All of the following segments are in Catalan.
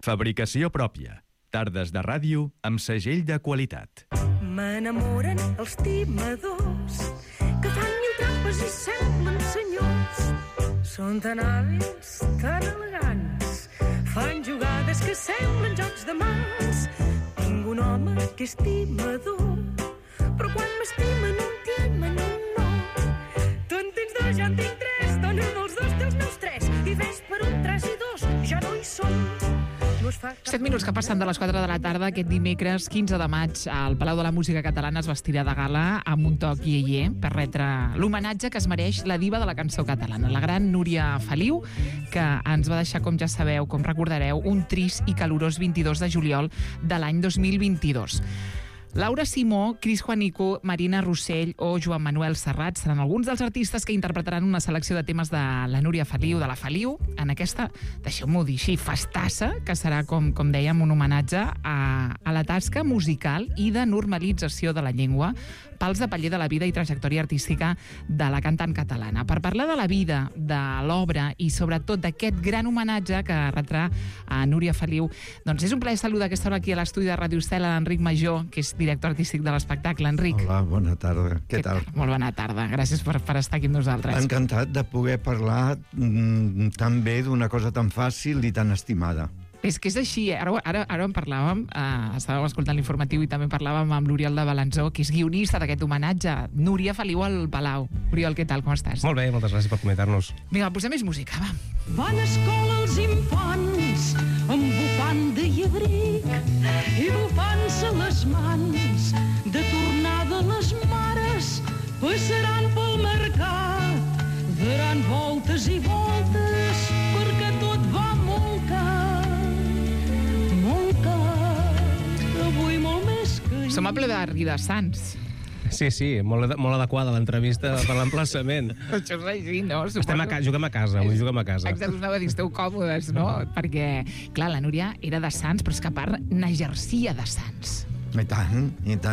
Fabricació pròpia. Tardes de ràdio amb segell de qualitat. M'enamoren els timadors que fan mil trampes i semblen senyors. Són tan hàbils, tan elegants, fan jugades que semblen jocs de mans. Tinc un home que és timador, però quan m'estimen un timen un no. Tu en tens dos, jo en tinc tres, dona dels dos, dels meus tres, i ves per un tres i dos, ja no hi som. 7 minuts que passen de les 4 de la tarda aquest dimecres 15 de maig al Palau de la Música Catalana es vestirà de gala amb un toc iaier per retre l'homenatge que es mereix la diva de la cançó catalana, la gran Núria Feliu, que ens va deixar, com ja sabeu, com recordareu, un trist i calorós 22 de juliol de l'any 2022. Laura Simó, Cris Juanico, Marina Rossell o Joan Manuel Serrat seran alguns dels artistes que interpretaran una selecció de temes de la Núria Feliu, de la Feliu, en aquesta, deixeu-m'ho dir així, festassa, que serà, com dèiem, un homenatge a la tasca musical i de normalització de la llengua pels de paller de la vida i trajectòria artística de la cantant catalana. Per parlar de la vida, de l'obra i sobretot d'aquest gran homenatge que retrà a Núria Feliu, doncs és un plaer saludar aquesta hora aquí a l'estudi de Radio Estela l'Enric Major, que és director artístic de l'espectacle. Enric. Hola, bona tarda. Què tal? Molt bona tarda. Gràcies per estar aquí amb nosaltres. Encantat de poder parlar tan bé d'una cosa tan fàcil i tan estimada. És que és així, ara en parlàvem, estàvem escoltant l'informatiu i també parlàvem amb l'Oriol de Balanzó, que és guionista d'aquest homenatge. Núria Feliu al Palau. Oriol, què tal, com estàs? Molt bé, moltes gràcies per comentar-nos. Vinga, posem més música, va. Van a escola els infants amb bufanda i abric i bufant-se les mans. De tornada les mares passaran pel mercat, daran voltes i voltes perquè tot va molt car, avui molt més que ahir. Som a ple d'arri de Sants. Sí, molt adequada l'entrevista per l'emplaçament. Això és així, no? Juguem a casa, avui juguem a casa. Exacte, us anava a dir, esteu còmodes, no? Perquè, clar, la Núria era de Sants, però és que a part n'exercia de Sants. I tant.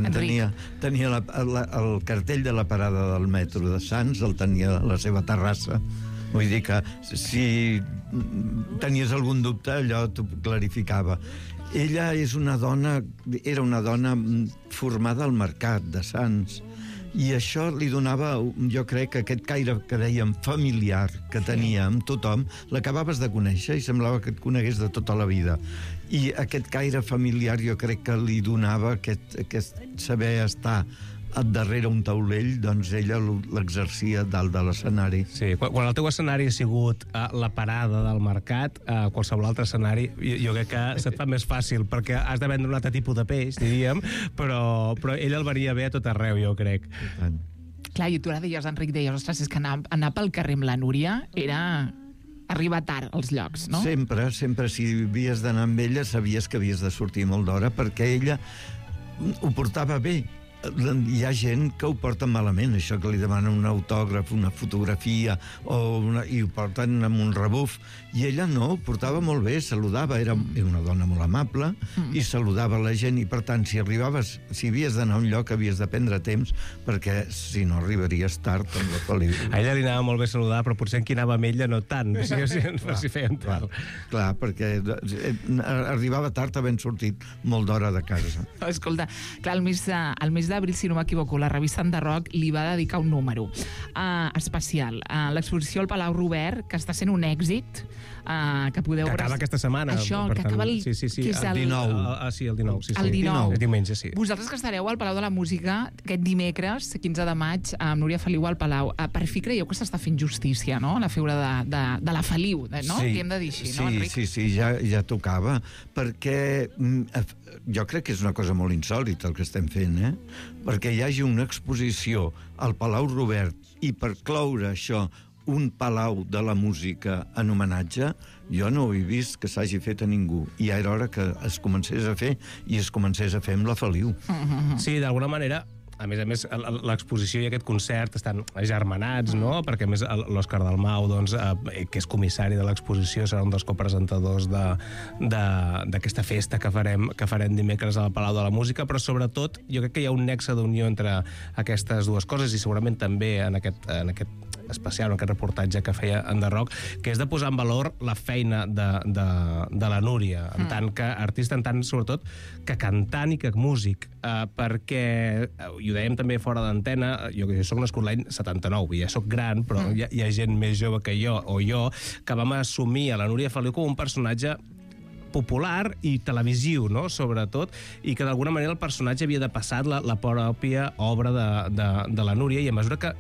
Enric. Tenia el cartell de la parada del metro de Sants, el tenia a la seva terrassa. Vull dir que si tenies algun dubte, allò t'ho clarificava. Ella era una dona formada al mercat de Sants, i això li donava, jo crec, que aquest caire que dèiem familiar que tenia amb tothom, l'acabaves de conèixer i semblava que et conegués de tota la vida. I aquest caire familiar jo crec que li donava aquest saber estar darrere un taulell, doncs ella l'exercia dalt de l'escenari. Sí, quan el teu escenari ha sigut la parada del mercat, qualsevol altre escenari, jo crec que se't fa més fàcil, perquè has de vendre un altre tipus de peix, diríem, però ell el venia bé a tot arreu, jo crec. Clar, i tu ara deies, Enric, ostres, és que anar pel carrer amb la Núria era arribar tard als llocs, no? Sempre, si havies d'anar amb ella, sabies que havies de sortir molt d'hora, perquè ella ho portava bé. Hi ha gent que ho porta malament, això que li demanen un autògraf, una fotografia i ho porten amb un rebuf, i ella no, ho portava molt bé, saludava, era una dona molt amable i saludava la gent, i per tant si havies d'anar a un lloc havies de prendre temps, perquè si no arribaries tard amb la pel·lícula. A ella li anava molt bé saludar, però potser en qui anava amb ella no tant, si feien tard. Clar, perquè arribava tard havent sortit molt d'hora de casa. Escolta, clar, el mes d'abril, si no m'equivoco, la revista Enderroc li va dedicar un número especial a l'exposició al Palau Robert, que està sent un èxit, que podeu... Que acaba aquesta setmana. Això, que acaba el... Sí, que és el 19. Sí, el 19. El 19. El diumenge, sí. Vosaltres que estareu al Palau de la Música aquest dimecres, 15 de maig, amb Núria Feliu al Palau, per fi creieu que s'està fent justícia, no?, la figura de la Feliu, no? Sí, que hem de dir així, no, Enric? Sí, ja tocava, perquè jo crec que és una cosa molt insòlita el que estem fent, perquè hi hagi una exposició al Palau Robert i per cloure això un palau de la música en homenatge, jo no ho he vist que s'hagi fet a ningú, i ja era hora que es comencés a fer, i es comencés a fer amb la Feliu. Sí, d'alguna manera, a més, l'exposició i aquest concert estan agermanats, no? Perquè, a més, l'Òscar Dalmau, doncs, que és comissari de l'exposició, serà un dels copresentadors d'aquesta festa que farem dimecres al Palau de la Música, però sobretot jo crec que hi ha un nexe d'unió entre aquestes dues coses, i segurament també en aquest especial, aquest reportatge que feia en The Rock, que és de posar en valor la feina de la Núria, en tant que artista, en tant, sobretot, que cantant i que músic, perquè, i ho dèiem també fora d'antena, jo soc nascut l'any 79, ja soc gran, però hi ha gent més jove que jo, que vam assumir a la Núria Feliu com un personatge popular i televisiu, no?, sobretot, i que d'alguna manera el personatge havia de passar la pròpia obra de la Núria, i a mesura que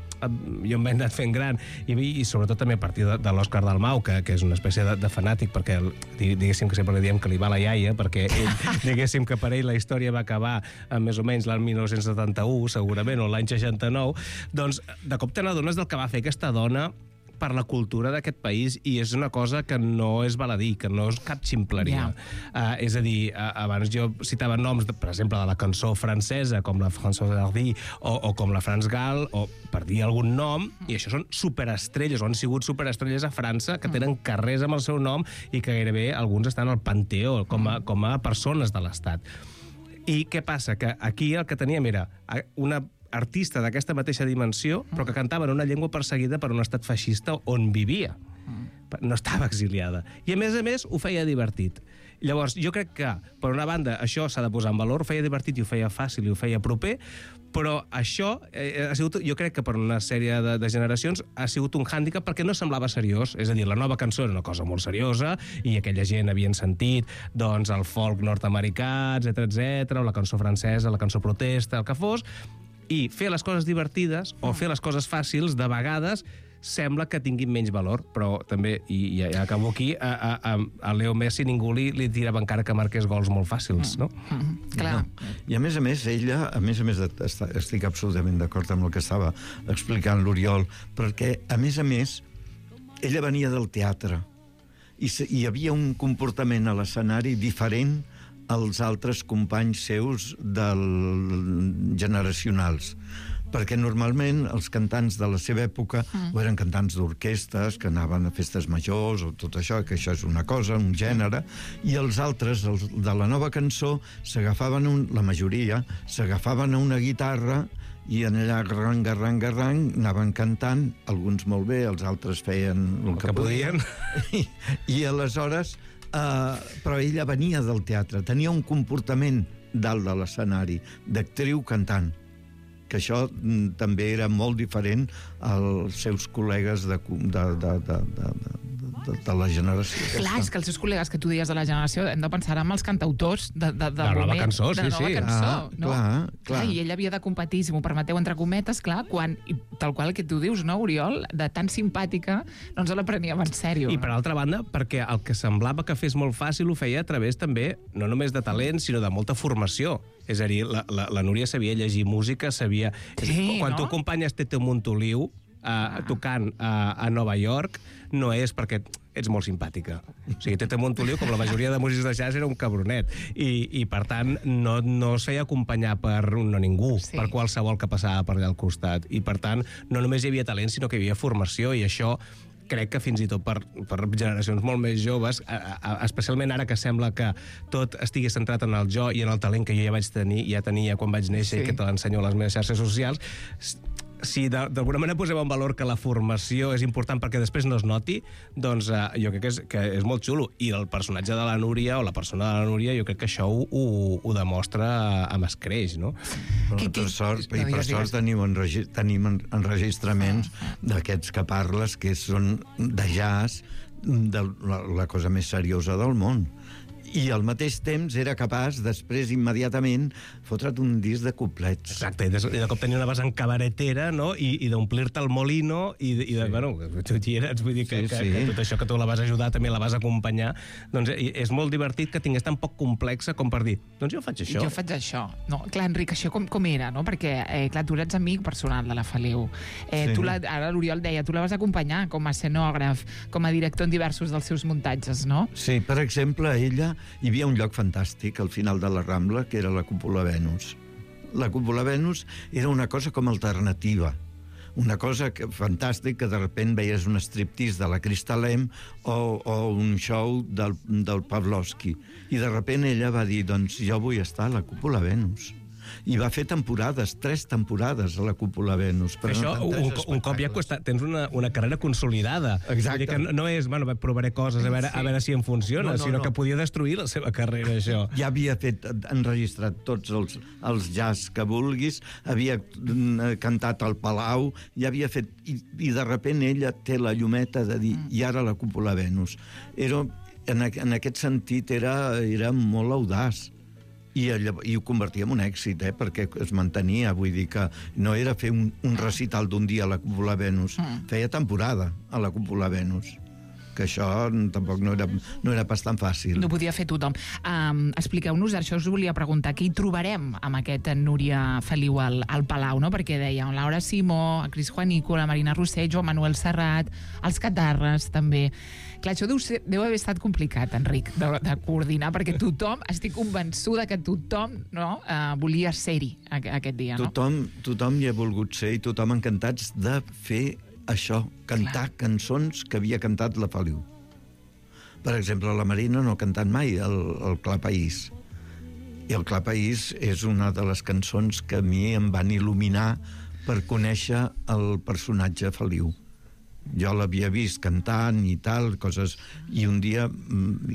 jo m'he anat fent gran, i sobretot també a partir de l'Òscar Dalmau, que és una espècie de fanàtic, perquè diguéssim que sempre li diem que li va la iaia, perquè ell, diguéssim que per ell la història va acabar més o menys l'any 1971, segurament, o l'any 69, doncs de cop te n'adones del que va fer aquesta dona per la cultura d'aquest país, i és una cosa que no és baladí, que no és cap ximpleria. És a dir, abans jo citava noms, per exemple, de la cançó francesa, com la Françoise Hardy, o com la France Gall, o per dir algun nom, i això són superestrelles, o han sigut superestrelles a França, que tenen carrers amb el seu nom, i que gairebé alguns estan al Panteó, com a persones de l'Estat. I què passa? Que aquí el que teníem era una artista d'aquesta mateixa dimensió, però que cantava en una llengua perseguida per un estat feixista on vivia. No estava exiliada. I, a més, ho feia divertit. Llavors, jo crec que, per una banda, això s'ha de posar en valor, ho feia divertit i ho feia fàcil i ho feia proper, però això ha sigut, jo crec que per una sèrie de generacions ha sigut un hàndicap perquè no semblava seriós. És a dir, la nova cançó era una cosa molt seriosa i aquella gent havien sentit doncs, el folk nord-americà, etc, o la cançó francesa, la cançó protesta, el que fos, i fer les coses divertides o fer les coses fàcils, de vegades, sembla que tinguin menys valor, però també, i ja acabo aquí, a Leo Messi ningú li tirava encara que marqués gols molt fàcils, no? Clar. I a més, ella, estic absolutament d'acord amb el que estava explicant l'Oriol, perquè, a més, ella venia del teatre i hi havia un comportament a l'escenari diferent als altres companys seus generacionals, perquè normalment els cantants de la seva època o eren cantants d'orquestres que anaven a festes majors o tot això, que això és una cosa, un gènere, i els altres, els de la nova cançó, la majoria, s'agafaven a una guitarra i en allà garrang, anaven cantant, alguns molt bé, els altres feien el que podien. I aleshores però ella venia del teatre, tenia un comportament dalt de l'escenari, d'actriu cantant, que això també era molt diferent als seus col·legues de la generació. Clar, és que els seus col·legues que tu deies de la generació hem de pensar en els cantautors de la nova cançó, de la nova cançó, no? Clar. I ell havia de competir, si m'ho permeteu, entre cometes, clar, quan, tal qual que tu dius, no, Oriol, de tan simpàtica, no ens la preníem en sèrio. I per altra banda, perquè el que semblava que fes molt fàcil ho feia a través també, no només de talent, sinó de molta formació. És a dir, la Núria sabia llegir música, sabia... Sí, quan tu acompanyes Tete Montoliu tocant a Nova York, no és perquè ets molt simpàtica. O sigui, Tete Montoliu, com la majoria de músics de jazz, era un cabronet. I per tant, no es feia acompanyar per ningú, per qualsevol que passava per allà al costat. I per tant, no només hi havia talent, sinó que hi havia formació, i això crec que fins i tot per generacions molt més joves, especialment ara que sembla que tot estigui centrat en el jo i en el talent que jo ja tenia quan vaig néixer i que te l'ensenyo a les meves xarxes socials, si d'alguna manera posem en valor que la formació és important perquè després no es noti, doncs jo crec que és molt xulo. I el personatge de la Núria, o la persona de la Núria, jo crec que això ho demostra amb escreix, no? Per sort tenim enregistraments d'aquests que parles, que són de jazz, de la cosa més seriosa del món. I al mateix temps era capaç, després, immediatament, fotre't un disc de couplets. Exacte, i de cop tenia una vessant cabaretera, no?, i d'omplir-te el molino, bueno, tu hi eres, vull dir que tot això que tu la vas ajudar també la vas acompanyar, doncs és molt divertit que tingués tan poc complexa com per dir, doncs jo faig això. Jo faig això. No, clar, Enric, això com era, no? Perquè, clar, tu ets amic personal de la Feliu. Ara l'Oriol deia, tu la vas acompanyar com a escenògraf, com a director en diversos dels seus muntatges, no? Sí, per exemple, ella hi havia un lloc fantàstic al final de la Rambla, que era la Cúpula Venus. La Cúpula Venus era una cosa com alternativa, una cosa fantàstica, que de sobte veies un striptease de la Crystal M o un show del Pavlovsky. I de sobte ella va dir, doncs jo vull estar a la Cúpula Venus. I va fer temporades, 3 temporades a la Cúpula Venus. Però això, un cop ja tens una carrera consolidada. Exacte. Vull dir que no és, bueno, provaré coses a veure si em funciona, sinó que podia destruir la seva carrera, això. Ja havia enregistrat tots els jazz que vulguis, havia cantat al Palau, ja havia fet... I de repent ella té la llumeta de dir, i ara la Cúpula Venus. En aquest sentit era molt audaç. I ho convertia en un èxit, perquè es mantenia, vull dir que no era fer un recital d'un dia a la Cúpula Venus, feia temporada a la Cúpula Venus, que això tampoc no era pas tan fàcil. No podia fer tothom. Expliqueu-nos, això us volia preguntar, què hi trobarem amb aquest Núria Feliu al Palau, no? Perquè deia Laura Simó, Cris Juanico, la Marina Rossell, Joan Manuel Serrat, els Catarres, també. Clar, això deu haver estat complicat, Enric, de coordinar, perquè tothom, estic convençuda que tothom volia ser-hi aquest dia, no? Tothom hi ha volgut ser i tothom encantats de fer això, cantar cançons que havia cantat la Feliu. Per exemple, la Marina no ha cantat mai el Clar País. I el Clar País és una de les cançons que a mi em van il·luminar per conèixer el personatge Feliu. Jo l'havia vist cantant i tal, coses... I un dia...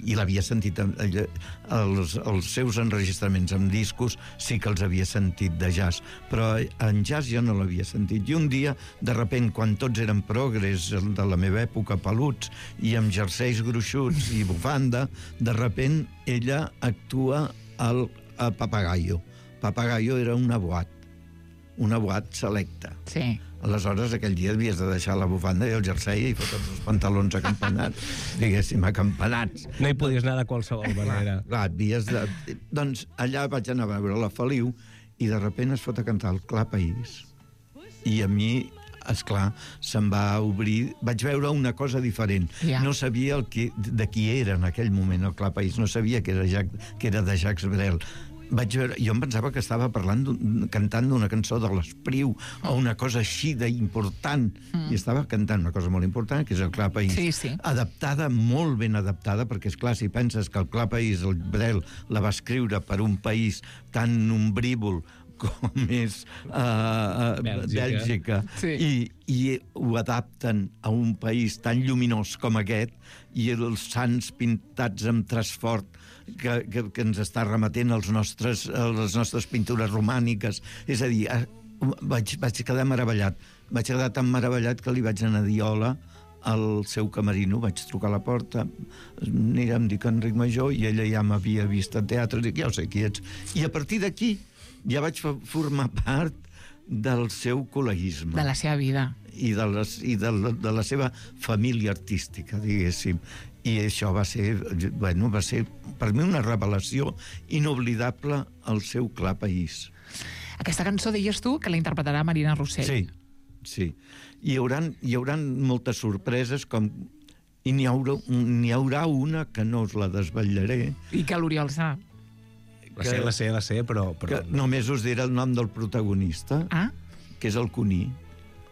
I l'havia sentit... Els seus enregistraments amb discos sí que els havia sentit de jazz, però en jazz jo no l'havia sentit. I un dia, de repent, quan tots eren progres de la meva època, peluts, i amb jerseis gruixuts i bufanda, de repent ella actua a Papagayo. Papagayo era una boat selecta. Sí. Aleshores, aquell dia havies de deixar la bufanda i el jersei i fotre's els pantalons acampanats, diguéssim, acampanats. No hi podies anar de qualsevol manera. Clar, havies de... Doncs allà vaig anar a veure la Feliu i de repent es fot a cantar el Clar País. I a mi, esclar, se'm va obrir... Vaig veure una cosa diferent. Ja. No sabia de qui era en aquell moment el Clar País, no sabia que era de Jacques Brel. Jo em pensava que estava cantant d'una cançó de l'Espriu o una cosa així d'important, i estava cantant una cosa molt important, que és el Clar País. Sí. Adaptada, molt ben adaptada, perquè, esclar, si penses que el Clar País, el Brel, la va escriure per un país tan ombrívol com és Bèlgica, sí. i ho adapten a un país tan lluminós com aquest, i els sants pintats amb traç fort que ens està remetent les nostres pintures romàniques. És a dir, vaig quedar meravellat. Vaig quedar tan meravellat que li vaig anar a dir hola al seu camerino, vaig trucar a la porta, em dic Enric Major, i ella ja m'havia vist a teatre, dic, ja ho sé qui ets. I a partir d'aquí ja vaig formar part del seu col·leguisme. De la seva vida. I de la seva família artística, diguéssim. I això va ser per mi una revelació inoblidable al seu Clar País. Aquesta cançó, deies tu, que la interpretarà Marina Rossell. Sí. Hi haurà moltes sorpreses, i n'hi haurà una que no us la desvetllaré. I que l'Oriol sap. La sé, però... Només us diré el nom del protagonista, que és el Cuní.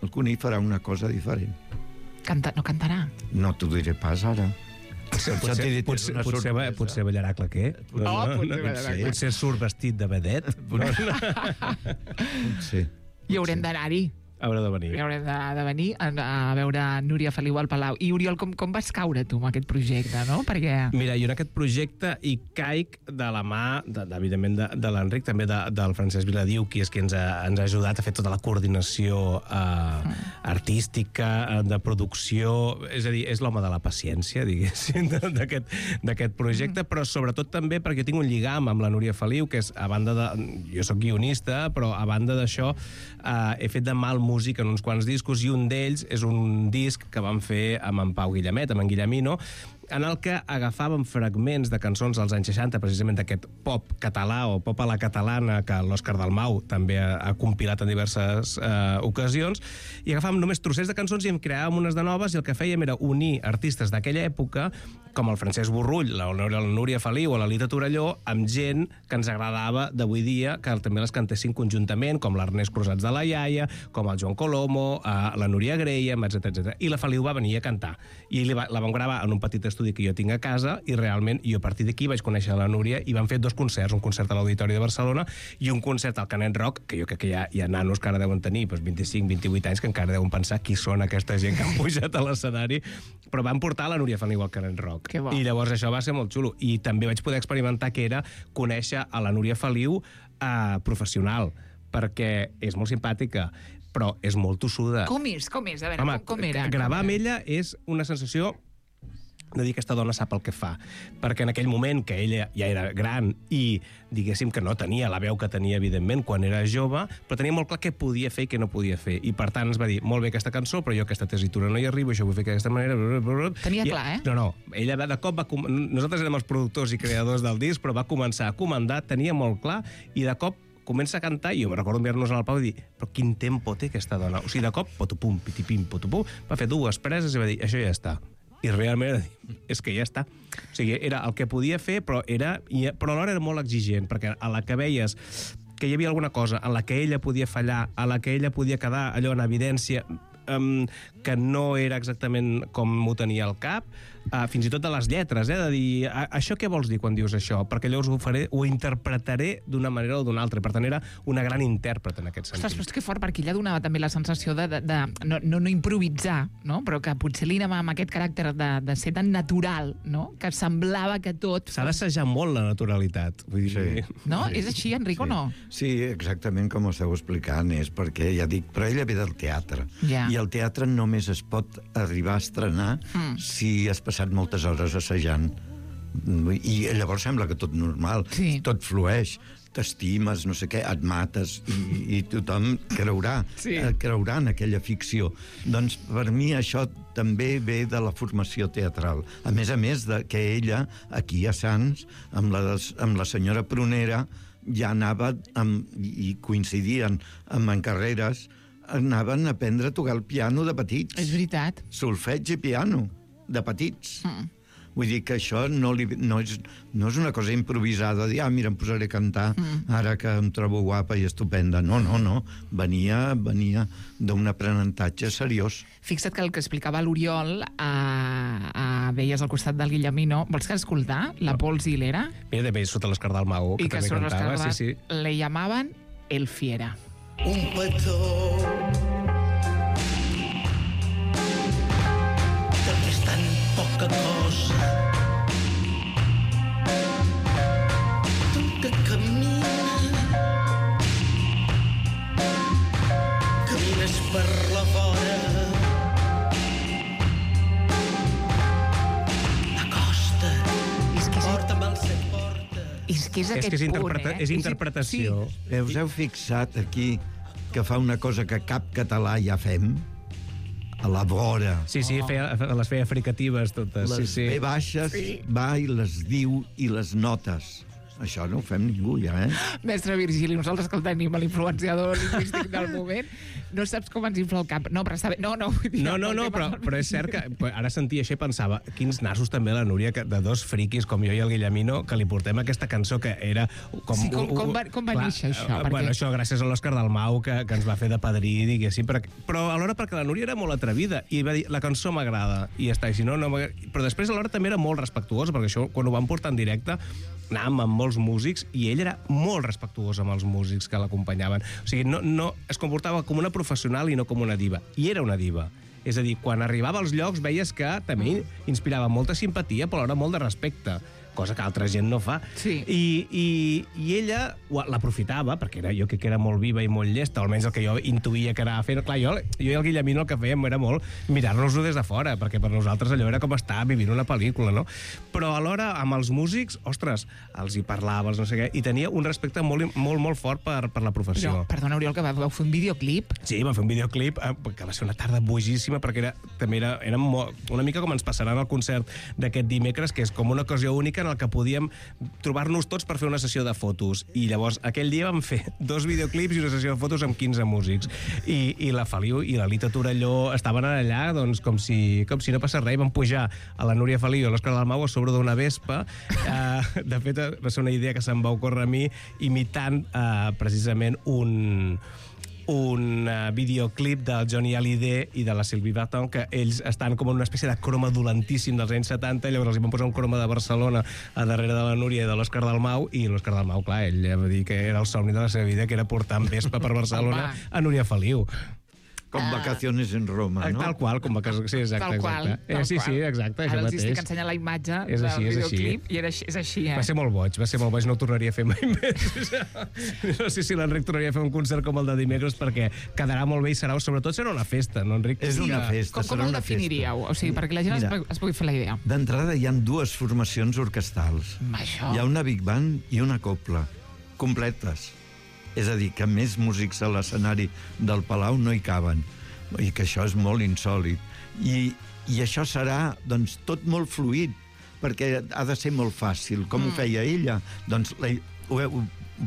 El Cuní farà una cosa diferent. No cantarà? No t'ho diré pas ara. Potser ballarà claquer. Potser surt vestit de vedet. Potser. I haurem d'anar-hi. Haurà de venir. Haurem de venir a veure Núria Feliu al Palau. I, Oriol, com vas caure tu amb aquest projecte, no? Perquè... Mira, jo en aquest projecte hi caic de la mà, evidentment, de l'Enric, també del Francesc Viladiu, qui és qui ens ha ajudat a fer tota la coordinació artística, de producció... És a dir, és l'home de la paciència, diguéssim, d'aquest projecte, però sobretot també perquè tinc un lligam amb la Núria Feliu, que és, a banda de... Jo soc guionista, però a banda d'això he fet de mal músic en uns quants discos, i un d'ells és un disc que vam fer amb en Pau Guillemet, amb en Guillemino, en el que agafàvem fragments de cançons dels anys 60, precisament d'aquest pop català o pop a la catalana que l'Òscar Dalmau també ha compilat en diverses ocasions, i agafàvem només trossets de cançons i en creàvem unes de noves, i el que fèiem era unir artistes d'aquella època, com el Francesc Borrull, la Núria Feliu o la Lita Torelló, amb gent que ens agradava d'avui dia, que també les cantessin conjuntament, com l'Ernest Cruzats de la Iaia, com el Joan Colomo, la Núria Graham, etc. I la Feliu va venir a cantar. I la vam gravar en un petit estudi l'estudi que jo tinc a casa, i realment jo a partir d'aquí vaig conèixer la Núria i vam fer 2 concerts, un concert a l'Auditori de Barcelona i un concert al Canet Rock, que jo crec que hi ha nanos que ara deuen tenir 25, 28 anys, que encara deuen pensar qui són aquesta gent que han pujat a l'escenari, però van portar la Núria Feliu al Canet Rock. I llavors això va ser molt xulo. I també vaig poder experimentar que era conèixer a la Núria Feliu professional, perquè és molt simpàtica, però és molt tossuda. Com és? A veure, home, com era? Gravar amb ella és una sensació de dir que aquesta dona sap el que fa, perquè en aquell moment que ella ja era gran i diguéssim que no tenia la veu que tenia evidentment quan era jove, però tenia molt clar què podia fer i què no podia fer, i per tant ens va dir, molt bé aquesta cançó, però jo aquesta tessitura no hi arribo, això ho vull fer d'aquesta manera... Tenia clar, eh? No, ella de cop nosaltres érem els productors i creadors del disc, però va començar a comandar, tenia molt clar, i de cop comença a cantar, i jo me recordo enviar-nos al Pau i dir, però quin tempo té aquesta dona? O sigui, de cop, potupum, pitipim, potupum, va fer 2 preses i va dir, això ja està. I realment és que ja està. O sigui, era el que podia fer, però alhora era molt exigent, perquè a la que veies que hi havia alguna cosa en la que ella podia fallar, a la que ella podia quedar allò en evidència que no era exactament com m'ho tenia al cap, fins i tot de les lletres, de dir, això què vols dir quan dius això? Perquè llavors ho interpretaré d'una manera o d'una altra. Per tant, era una gran intèrpret en aquest sentit. Ostres, però és que fort, perquè ella donava també la sensació de no improvisar, no? Però que potser li anava amb aquest caràcter de ser tan natural, no? Que semblava que tot... S'ha d'assajar molt la naturalitat. Vull dir... Sí. No? És així, Enric, o no? Sí, exactament com ho esteu explicant, és perquè, ja dic, però ella ve del teatre. Ja. I el teatre només es pot arribar a estrenar si has passat moltes hores assajant. I llavors sembla que tot normal, tot flueix, t'estimes, no sé què, et mates i tothom creurà en aquella ficció. Doncs per mi això també ve de la formació teatral. A més que ella, aquí a Sants, amb la senyora Prunera, ja anava i coincidien en carreres, anaven a aprendre a tocar el piano de petits. És veritat. Solfeig i piano, de petits. Vull dir que això no és una cosa improvisada, dir, mira, em posaré a cantar ara que em trobo guapa i estupenda. No. Venia d'un aprenentatge seriós. Fixa't que el que explicava l'Oriol veies al costat del Guillemino. Vols que escoltar? La Pols i l'Era? Mira, també sota l'Escardà al Maó, que també cantava. Le llamaven El Fiera. Un petó del que és tan poca cosa, tu que camines per la vora, acosta't, porta'm el set porta. És que és aquest punt, És interpretació. Us heu fixat aquí que fa una cosa que cap català ja fem? A la vora. Sí, les feia fricatives totes. Les B baixes va i les diu i les notes. Això no ho fem ningú, ja, Mestre Virgili, nosaltres que el tenim a l'influenciador lingüístic del moment, no saps com ens infla el cap. No, però està bé. No, però és cert que ara sentia això i pensava, quins nassos també la Núria, de 2 friquis com jo i el Guillemino, que li portem aquesta cançó que era... Com va néixer això? Bueno, això gràcies a l'Òscar Dalmau, que ens va fer de padrí, diguéssim, però alhora perquè la Núria era molt atrevida i va dir, la cançó m'agrada, i ja està, i si no... Però després alhora també era molt respectuosa, perquè això, quan ho van portar en directe, anàvem amb molts músics i ell era molt respectuós amb els músics que l'acompanyaven. O sigui, no es comportava com una professional i no com una diva. I era una diva. És a dir, quan arribava als llocs veies que també inspirava molta simpatia, però alhora molt de respecte, cosa que altra gent no fa. Sí. I ella l'aprofitava, perquè jo crec que era molt viva i molt llesta, almenys el que jo intuïa que anava fent. Clar, jo i el Guillemino el que fèiem era molt mirar-nos-ho des de fora, perquè per nosaltres allò era com estar vivint una pel·lícula, no? Però alhora, amb els músics, ostres, els hi parlava, no sé què, i tenia un respecte molt, molt, molt fort per la professió. Però, perdona, Oriol, que vau fer un videoclip? Sí, vam fer un videoclip que va ser una tarda boigíssima, perquè també era una mica com ens passarà en el concert d'aquest dimecres, que és com una ocasió única en el que podíem trobar-nos tots per fer una sessió de fotos. I llavors, aquell dia vam fer 2 videoclips i una sessió de fotos amb 15 músics. I la Feliu i la Lita Torelló estaven allà doncs, com si no passés res. Vam pujar a la Núria Feliu i a l'Òscar Dalmau a sobre d'una vespa. De fet, va ser una idea que se'm va ocórrer a mi imitant precisament un videoclip del Johnny Hallyday i de la Sylvie Vartan, que ells estan com en una espècie de croma dolentíssim dels anys 70, llavors els hi van posar un croma de Barcelona a darrere de la Núria i de l'Òscar Dalmau, i l'Òscar Dalmau, clar, ell va dir que era el somni de la seva vida, que era portar en vespa per Barcelona a Núria Feliu. Com vacaciones en Roma, no? Tal qual, com vacaciones... Sí, exacte. Tal qual. Sí, exacte, Ara això els mateix. estic ensenyant la imatge És així, del és així. videoclip i és així, Va ser molt boig, no ho tornaria a fer mai més. No sé si l'Enric tornaria a fer un concert com el de dimecres, perquè quedarà molt bé i sobretot serà una festa, no, Enric? És una festa, Com serà el una festa. definiríeu? O sigui, perquè la gent es pugui fer la idea. D'entrada hi ha dues formacions orquestrals. Això. Hi ha una big band i una copla, completes. És a dir, que més músics a l'escenari del Palau no hi caben. I que això és molt insòlid. I això serà, doncs, tot molt fluid, perquè ha de ser molt fàcil. Com ho feia ella? Doncs ho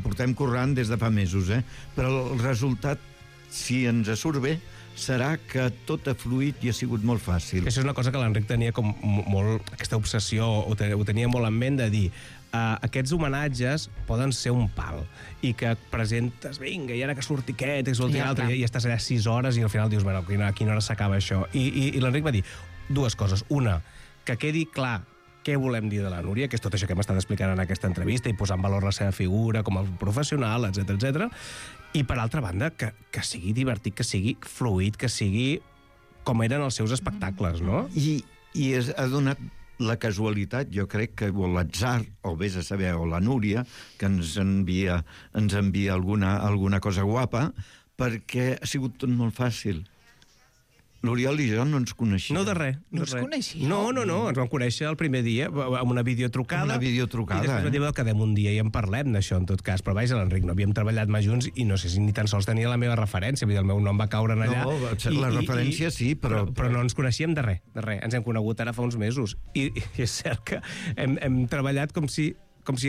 portem currant des de fa mesos, però el resultat, si ens surt bé, serà que tot ha fluït i ha sigut molt fàcil. Això és una cosa que l'Enric tenia com molt... Aquesta obsessió, ho tenia molt en ment de dir aquests homenatges poden ser un pal i que presentes, vinga, i ara que surti aquest, que surti l'altre, i estàs allà 6 hores i al final dius, bueno, a quina hora s'acaba això? I l'Enric va dir dues coses. Una, que quedi clar què volem dir de la Núria, que és tot això que hem estat explicant en aquesta entrevista i posar en valor la seva figura com a professional, etc. I, per altra banda, que sigui divertit, que sigui fluid, que sigui com eren els seus espectacles, no? I ha donat la casualitat, jo crec que o l'atzar, o vés a saber, o la Núria, que ens envia alguna cosa guapa, perquè ha sigut tot molt fàcil. L'Oriol i jo no ens coneixíem. No de res. No us coneixíeu? No, ens vam conèixer el primer dia amb una videotrucada. Una videotrucada, I després vam dir, quedem un dia i en parlem d'això, en tot cas. Però vaja, l'Enric, no havíem treballat mai junts i no sé si ni tan sols tenia la meva referència. Vull dir, el meu nom va caure allà. No, la referència sí, però no ens coneixíem de res. Ens hem conegut ara fa uns mesos. I és cert que hem treballat com si fos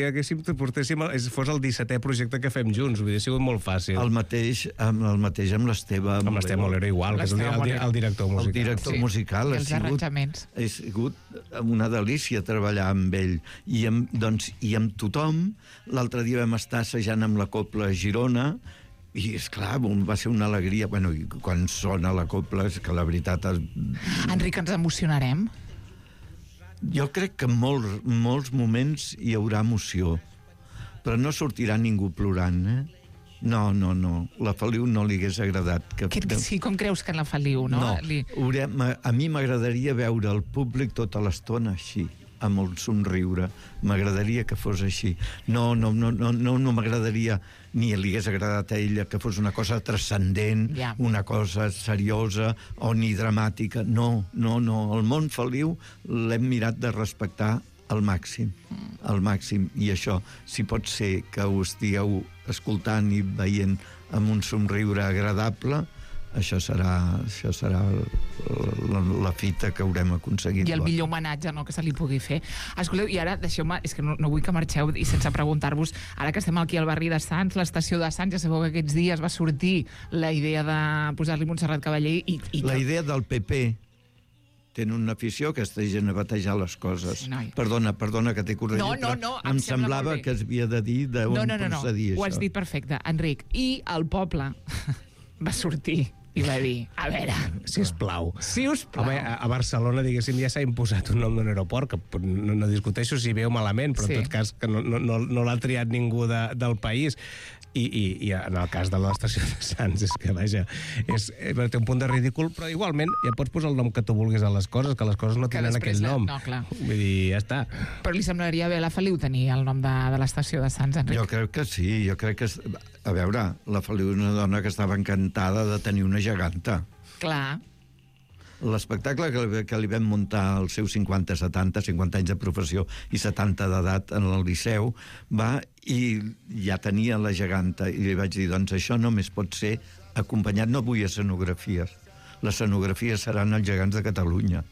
el 17è projecte que fem junts. Vull dir, ha sigut molt fàcil. El mateix amb l'Esteve Amb l'Esteve Molero igual, que és el director musical. El director musical. I els arranjaments. Ha sigut una delícia treballar amb ell. I amb tothom. L'altre dia vam estar assajant amb la Copla a Girona, i, esclar, va ser una alegria. Bueno, i quan sona la Copla, és que la veritat... Enric, ens emocionarem? Jo crec que en molts moments hi haurà emoció, però no sortirà ningú plorant, No. La Feliu no li hagués agradat. Sí, com creus que en la Feliu, no? A mi m'agradaria veure el públic tota l'estona així, amb el somriure. M'agradaria que fos així. No m'agradaria, ni li hagués agradat a ella que fos una cosa transcendent, una cosa seriosa o ni dramàtica. No. El món Feliu l'hem mirat de respectar al màxim. I això, si pot ser que ho estigueu escoltant i veient amb un somriure agradable, això serà la fita que haurem aconseguit. I el millor homenatge, no?, que se li pugui fer. Escolteu, i ara, deixeu-me, és que no vull que marxeu i sense preguntar-vos, ara que estem aquí al barri de Sants, l'estació de Sants, ja sabeu que aquests dies va sortir la idea de posar-li Montserrat Cavaller i la idea del PP. Tenen una afició que està gent a batejar les coses. Sí, perdona que t'he corregit, no, em semblava que es havia de dir d'on procedia això. Ho has dit perfecte, Enric. I el poble va sortir i va dir, a veure... Sisplau. Home, a Barcelona, diguéssim, ja s'ha imposat un nom d'un aeroport, que no discuteixo si veu malament, però en tot cas que no l'ha triat ningú del país. I en el cas de l'estació de Sants, és que, vaja, té un punt de ridícul, però igualment ja pots posar el nom que tu vulguis a les coses, que les coses no tenen aquell nom. No, clar. Vull dir, ja està. Però li semblaria bé a la Feliu tenir el nom de l'estació de Sants, Enric? Jo crec que sí, a veure, la Feliu és una dona que estava encantada de tenir una geganta. Clar. L'espectacle que li vam muntar als seus 50 anys de professió i 70 d'edat en el Liceu, i ja tenia la geganta, i li vaig dir, doncs això només pot ser acompanyat, no vull escenografies, les escenografies seran els gegants de Catalunya.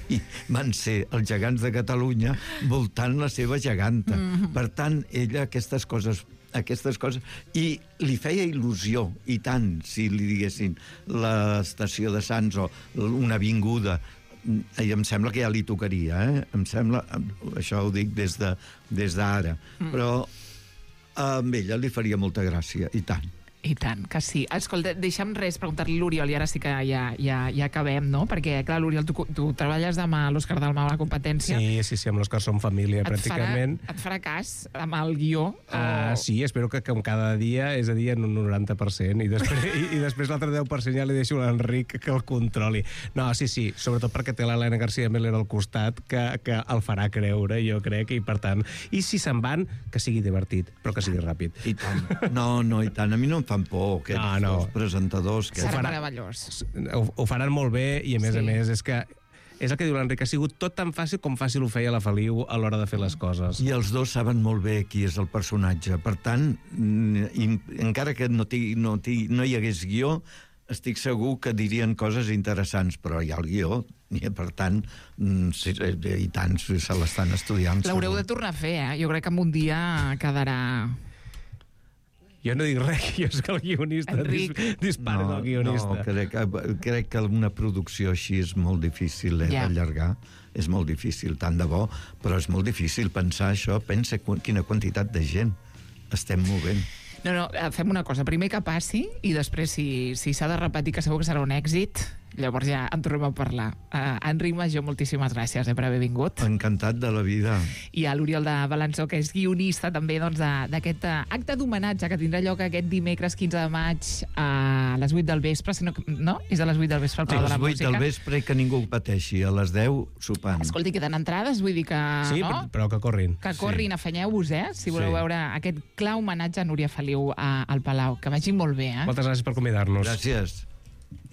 I van ser els gegants de Catalunya voltant la seva geganta. Per tant, ella aquestes coses, i li feia il·lusió, i tant, si li diguessin l'estació de Sants o una avinguda, i em sembla que ja li tocaria, em sembla, això ho dic des d'ara, però a ella li faria molta gràcia, i tant. I tant, que sí. Escolta, deixa'm res preguntar-li a l'Oriol, i ara sí que ja acabem, no? Perquè, clar, l'Oriol, tu treballes demà a l'Òscar Dalmau a la competència. Sí, amb l'Òscar som família, pràcticament. Et farà cas amb el guió? Sí, espero que com cada dia és a dir en un 90%, i després l'altre 10% ja li deixo a l'Enric que el controli. No, sí, sobretot perquè té l'Helena García Miller al costat, que el farà creure, jo crec, i per tant, i si se'n van, que sigui divertit, però que sigui ràpid. I tant. No, i tant. A mi no em fan por, aquests dos presentadors. Serà meravellós. Ho faran molt bé, i a més, és que és el que diu l'Enric, ha sigut tot tan fàcil com fàcil ho feia la Feliu a l'hora de fer les coses. I els dos saben molt bé qui és el personatge. Per tant, encara que no hi hagués guió, estic segur que dirien coses interessants, però hi ha el guió, i per tant, i tant, se l'estan estudiant. L'haureu de tornar a fer, Jo crec que en un dia quedarà... Jo no dic res, jo soc el guionista. Dispara del guionista. No, crec que una producció així és molt difícil d'allargar. És molt difícil, tant de bo, però és molt difícil pensar això. Pensa quina quantitat de gent estem movent. No, fem una cosa. Primer que passi, i després, si s'ha de repetir, que segur que serà un èxit, llavors ja en tornem a parlar. Enric Majó, moltíssimes gràcies per haver vingut. Encantat de la vida. I a l'Oriol de Balançó, que és guionista també d'aquest acte d'homenatge que tindrà lloc aquest dimecres 15 de maig a les 8 del vespre, no? És a les 8 del vespre al Palau de la Música. A les 8 del vespre, que ningú ho pateixi. A les 10 sopant. Escolti, queden entrades, vull dir que... Sí, no? Però que corrin. Que corrin, afanyeu-vos, si voleu veure aquest clar homenatge a Núria Feliu al Palau. Que vagi molt bé, Moltes gràcies per convidar-nos. Gràcies.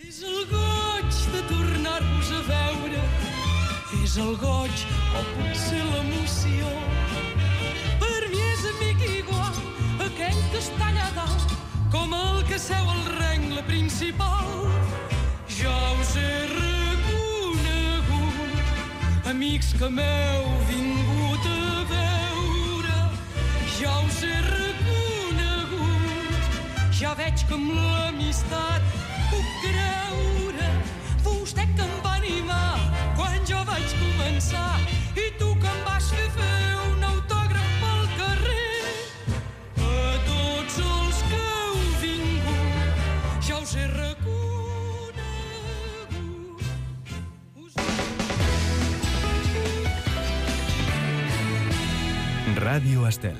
És el goig de tornar-vos a veure, és el goig o potser l'emoció. Per mi és amic igual aquell que està allà dalt, com el que seu al rengle principal. Ja us he reconegut, amics que m'heu vingut a veure. Ja us he reconegut, ja veig que amb l'amistat puc creure. Vostè que em va animar quan jo vaig començar, i tu que em vas fer un autògraf pel carrer. A tots els que heu vingut ja us he reconegut. Ràdio Estel.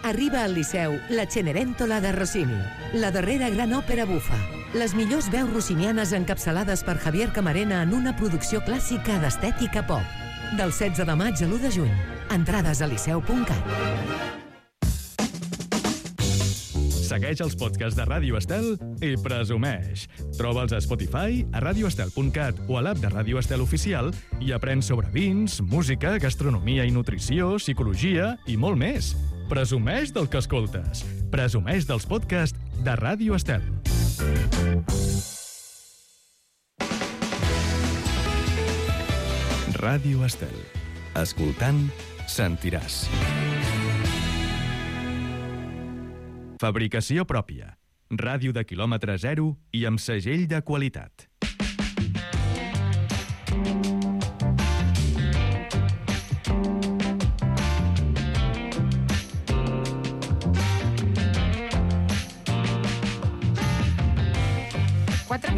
Arriba al Liceu la Cenerentola de Rossini, la darrera gran òpera bufa. Les millors veus rossinianes encapçalades per Javier Camarena en una producció clàssica d'estètica pop. Del 16 de maig a l'1 de juny. Entrades a liceu.cat. Segueix els podcasts de Ràdio Estel i presumeix. Troba'ls a Spotify, a radioestel.cat o a l'app de Ràdio Estel Oficial i aprèn sobre vins, música, gastronomia i nutrició, psicologia i molt més. Presumeix del que escoltes. Presumeix dels podcasts de Ràdio Estel. Ràdio Estel. Escoltant, sentiràs. Fabricació pròpia. Ràdio de quilòmetre zero i amb segell de qualitat.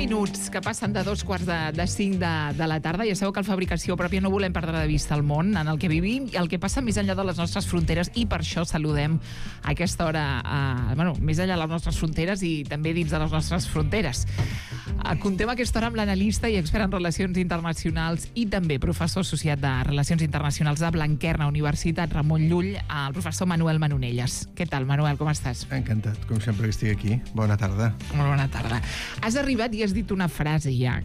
Minuts que passen de 2:45 de la tarda. Ja sabeu que al Fabricació Pròpia no volem perdre de vista el món en el que vivim i el que passa més enllà de les nostres fronteres, i per això saludem a aquesta hora més enllà de les nostres fronteres i també dins de les nostres fronteres. Contem aquesta hora amb l'analista i expert en relacions internacionals i també professor associat de Relacions Internacionals de Blanquerna Universitat Ramon Llull, el professor Manuel Manonelles. Què tal, Manuel, com estàs? Encantat, com sempre que estic aquí. Bona tarda. Molt bona tarda. Has arribat i has dit una frase ja.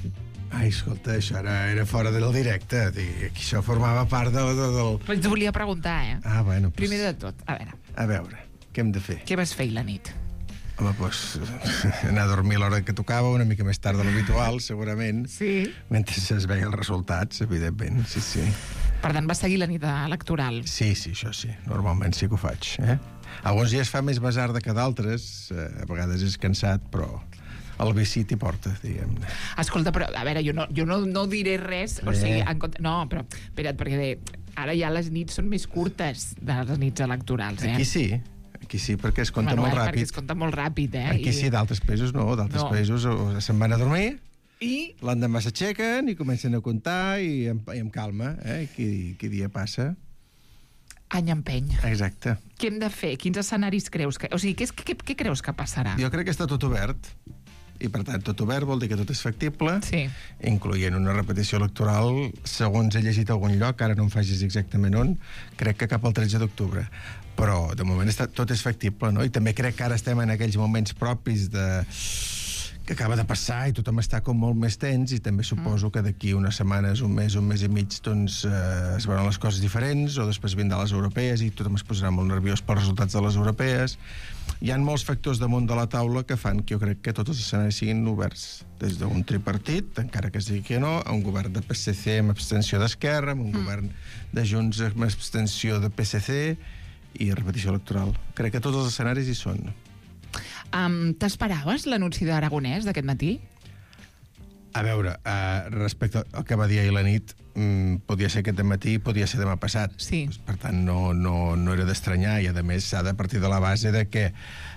Ai, escolta, això era fora del directe. Això formava part del... Però et volia preguntar, Ah, bueno. Primer de tot, a veure, què hem de fer? Què vas fer ahir la nit? Home, doncs, anar a dormir a l'hora que tocava, una mica més tard de l'habitual, segurament. Sí. Mentre es veien els resultats, evidentment, sí. Per tant, vas seguir la nit electoral? Sí, això sí. Normalment sí que ho faig, Alguns dies fa més basarda que d'altres, a vegades és cansat, però el vici t'hi porta, diguem-ne. Escolta, però, a veure, jo no diré res, o sigui, no, però, espera't, perquè ara ja les nits són més curtes de les nits electorals, Aquí sí. Aquí sí, perquè es compta molt Perquè ràpid. es compta molt ràpid, Aquí sí, d'altres països no. D'altres països se'n van a dormir, I l'endemà s'aixequen i comencen a comptar i amb calma, qui dia passa. any empeny. Exacte. Què hem de fer? Quins escenaris creus que... O sigui, què creus que passarà? Jo crec que està tot obert, i per tant, tot obert vol dir que tot és factible, Sí. incloent una repetició electoral, segons he llegit a algun lloc, ara no em facis exactament on, crec que cap al 13 d'octubre. Però, de moment, tot és factible, no? I també crec que ara estem en aquells moments propis que acaba de passar i tothom està com molt més tens i també suposo que d'aquí unes setmanes, un mes i mig, doncs es veuran les coses diferents o després vindran les europees i tothom es posarà molt nerviós pels resultats de les europees. Hi ha molts factors damunt de la taula que fan que jo crec que tots els escenaris siguin oberts. Des d'un tripartit, encara que es digui que no, a un govern de PSC amb abstenció d'Esquerra, amb un govern de Junts amb abstenció de PSC i repetició electoral. Crec que tots els escenaris hi són. T'esperaves l'anunci d'Aragonès d'aquest matí? A veure, respecte al que va dir ahir la nit, podia ser aquest matí, podia ser demà passat. Sí. Per tant, no era d'estranyar, i a més s'ha de partir de la base de que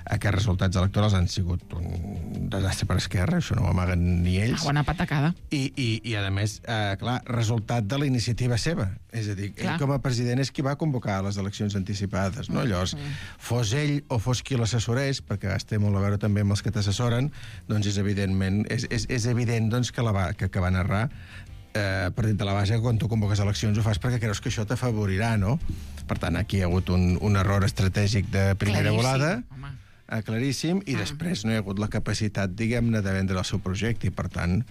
aquests resultats electorals han sigut un desastre per Esquerra, això no ho amaguen ni ells. Bona patacada. I a més, clar, resultat de la iniciativa seva. És a dir, ell com a president és qui va convocar les eleccions anticipades, no? Llavors, fos ell o fos qui l'assessorés, perquè has té molt a veure també amb els que t'assessoren, doncs és evident doncs, que va narrar partint de la base que quan tu convoques eleccions ho fas perquè creus que això t'afavorirà, no? Per tant, aquí hi ha hagut un error estratègic de primera volada, claríssim, i després no hi ha hagut la capacitat, diguem-ne, de vendre el seu projecte, i per tant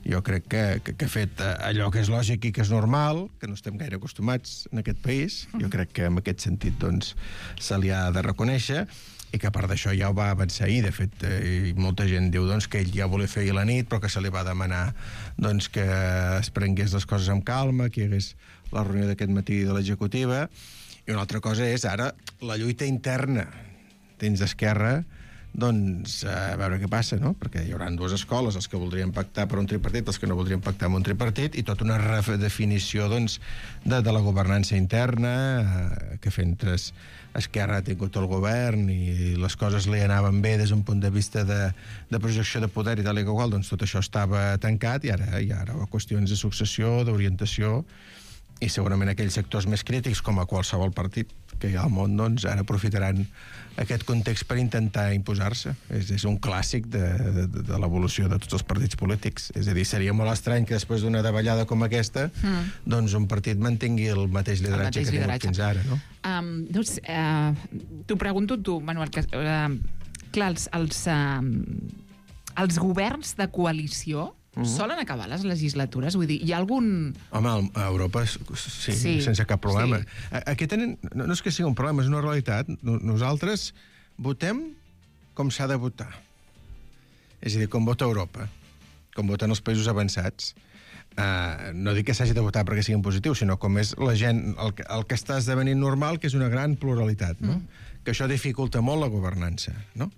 jo crec que ha fet allò que és lògic i que és normal, que no estem gaire acostumats en aquest país, jo crec que en aquest sentit doncs se li ha de reconèixer, i que a part d'això ja ho va avançar ahir. De fet, molta gent diu doncs, que ell ja volia fer ahir la nit, però que se li va demanar doncs, que es prengués les coses amb calma, que hi hagués la reunió d'aquest matí de l'executiva. I una altra cosa és ara la lluita interna dins d'Esquerra, doncs a veure què passa, no? Perquè hi haurà dues escoles, els que voldrien pactar per un tripartit, els que no voldrien pactar amb un tripartit, i tota una redefinició doncs, de la governança interna, que mentre Esquerra ha tingut el govern i les coses li anaven bé des d'un punt de vista de projecció de poder i tal i qual, doncs tot això estava tancat i ara hi ha qüestions de successió, d'orientació, i segurament aquells sectors més crítics, com a qualsevol partit que hi ha al món, doncs ara aprofitaran aquest context per intentar imposar-se. És un clàssic de l'evolució de tots els partits polítics. És a dir, seria molt estrany que després d'una davallada com aquesta doncs un partit mantingui el mateix lideratge que ha tingut fins ara, no? Doncs, t'ho pregunto tu, Manuel, que, clar, els governs de coalició solen acabar les legislatures? Vull dir, hi ha algun... Home, a Europa sí, sense cap problema. Sí. Aquí tenen... No és que sigui un problema, és una realitat. Nosaltres votem com s'ha de votar. És a dir, com vota Europa, com voten els països avançats. No dic que s'hagi de votar perquè siguin positius, sinó com és la gent, el que està esdevenint normal, que és una gran pluralitat, no? Que això dificulta molt la governança, no?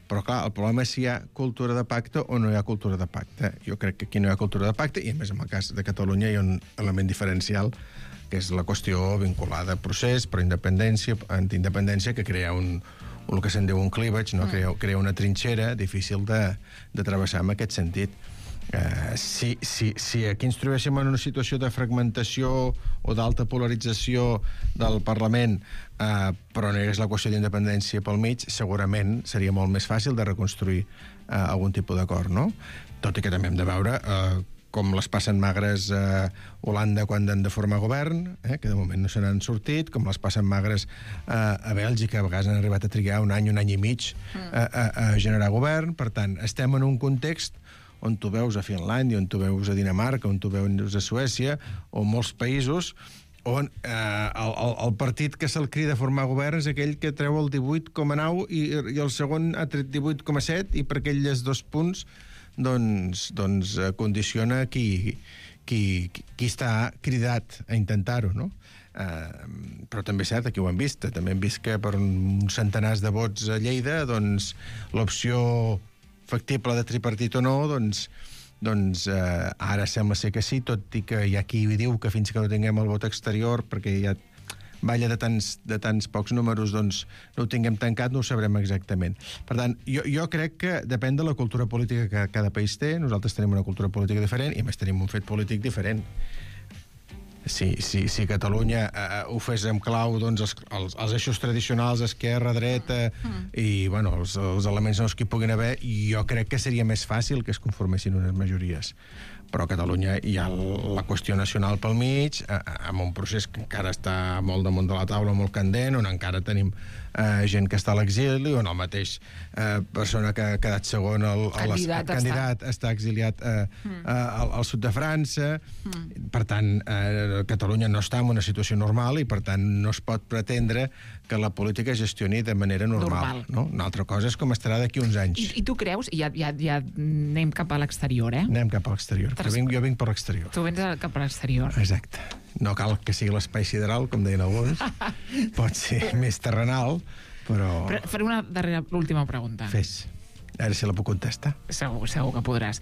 Però, clar, el problema és si hi ha cultura de pacte o no hi ha cultura de pacte. Jo crec que aquí no hi ha cultura de pacte, i a més, en el cas de Catalunya hi ha un element diferencial, que és la qüestió vinculada a procés, per independència, antiindependència, que crea el que se'n diu un cleavage, no? Crea una trinxera difícil de travessar en aquest sentit. Si aquí ens trobéssim en una situació de fragmentació o d'alta polarització del Parlament, però no hi hagués la qüestió d'independència pel mig, segurament seria molt més fàcil de reconstruir algun tipus d'acord, no? Tot i que també hem de veure com les passen magres a Holanda quan han de formar govern, que de moment no se n'han sortit, com les passen magres a Bèlgica, a vegades han arribat a trigar un any i mig a generar govern. Per tant, estem en un context on tu veus a Finlàndia, on tu veus a Dinamarca, on tu veus a Suècia, o molts països on el partit que se'l crida a formar govern és aquell que treu el 18,9 i el segon ha tret 18,7, i per aquells 2 punts doncs condiciona qui està cridat a intentar-ho, no? Però també és cert, aquí ho hem vist, també hem vist que per uns centenars de vots a Lleida, doncs l'opció factible de tripartit o no, doncs ara sembla ser que sí, tot i que hi ha qui diu que fins que no tinguem el vot exterior, perquè hi ha balla de tants pocs números, doncs no ho tinguem tancat, no ho sabrem exactament. Per tant, jo crec que depèn de la cultura política que cada país té. Nosaltres tenim una cultura política diferent i, a més, tenim un fet polític diferent. Si Catalunya ho fes amb clau, doncs els eixos tradicionals, esquerra, dreta i, bueno, els elements nous que hi puguin haver, jo crec que seria més fàcil que es conformessin unes majories. Però a Catalunya hi ha la qüestió nacional pel mig, amb un procés que encara està molt damunt de la taula, molt candent, on encara tenim gent que està a l'exili, on el mateix persona que ha quedat segon candidat està exiliat al sud de França. Per tant, Catalunya no està en una situació normal i, per tant, no es pot pretendre que la política es gestioni de manera normal. No? Una altra cosa és com estarà d'aquí uns anys. I tu creus, ja anem cap a l'exterior, Anem cap a l'exterior. Jo vinc per l'exterior. Tu vens cap a l'exterior. Exacte. No cal que sigui l'espai sideral, com deien alguns. Pot ser més terrenal, però faré una última pregunta. Fes. A veure si la puc contestar. Segur que podràs.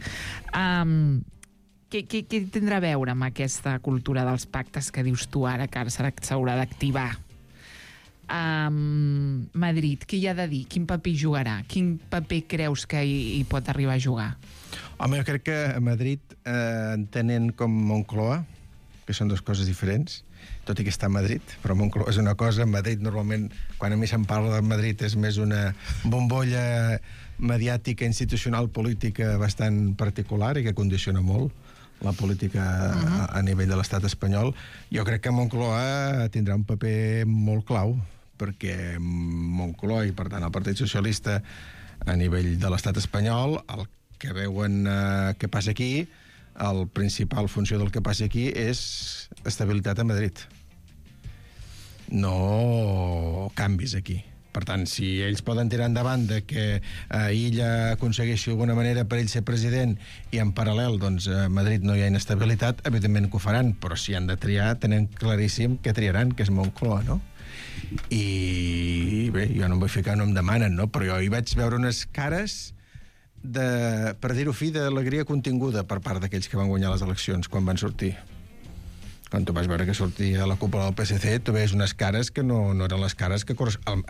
Què tindrà a veure amb aquesta cultura dels pactes que dius tu ara, que s'haurà d'activar? Madrid, què hi ha de dir? Quin paper jugarà? Quin paper creus que hi pot arribar a jugar? Home, jo crec que a Madrid, entenent com Moncloa, que són dues coses diferents, tot i que està a Madrid, però Moncloa és una cosa. Madrid, normalment, quan a mi se'n parla de Madrid, és més una bombolla mediàtica, institucional, política bastant particular i que condiciona molt la política a nivell de l'estat espanyol. Jo crec que Moncloa tindrà un paper molt clau, perquè Moncloa i, per tant, el Partit Socialista a nivell de l'estat espanyol, el que veuen que passa aquí, la principal funció del que passa aquí és estabilitat a Madrid. No canvis aquí. Per tant, si ells poden tirar endavant de que Illa aconsegueixi d'alguna manera per ell ser president i en paral·lel, doncs, a Madrid no hi ha inestabilitat, evidentment que ho faran, però si han de triar, tenen claríssim que triaran, que és Moncloa, no? I bé, jo no em vull ficar, no em demanen, no? Però jo hi vaig veure unes cares per dir-ho fi, d'alegria continguda per part d'aquells que van guanyar les eleccions quan van sortir. Quan tu vas veure que sortia a la cúpula del PSC, tu veies unes cares que no eren les cares que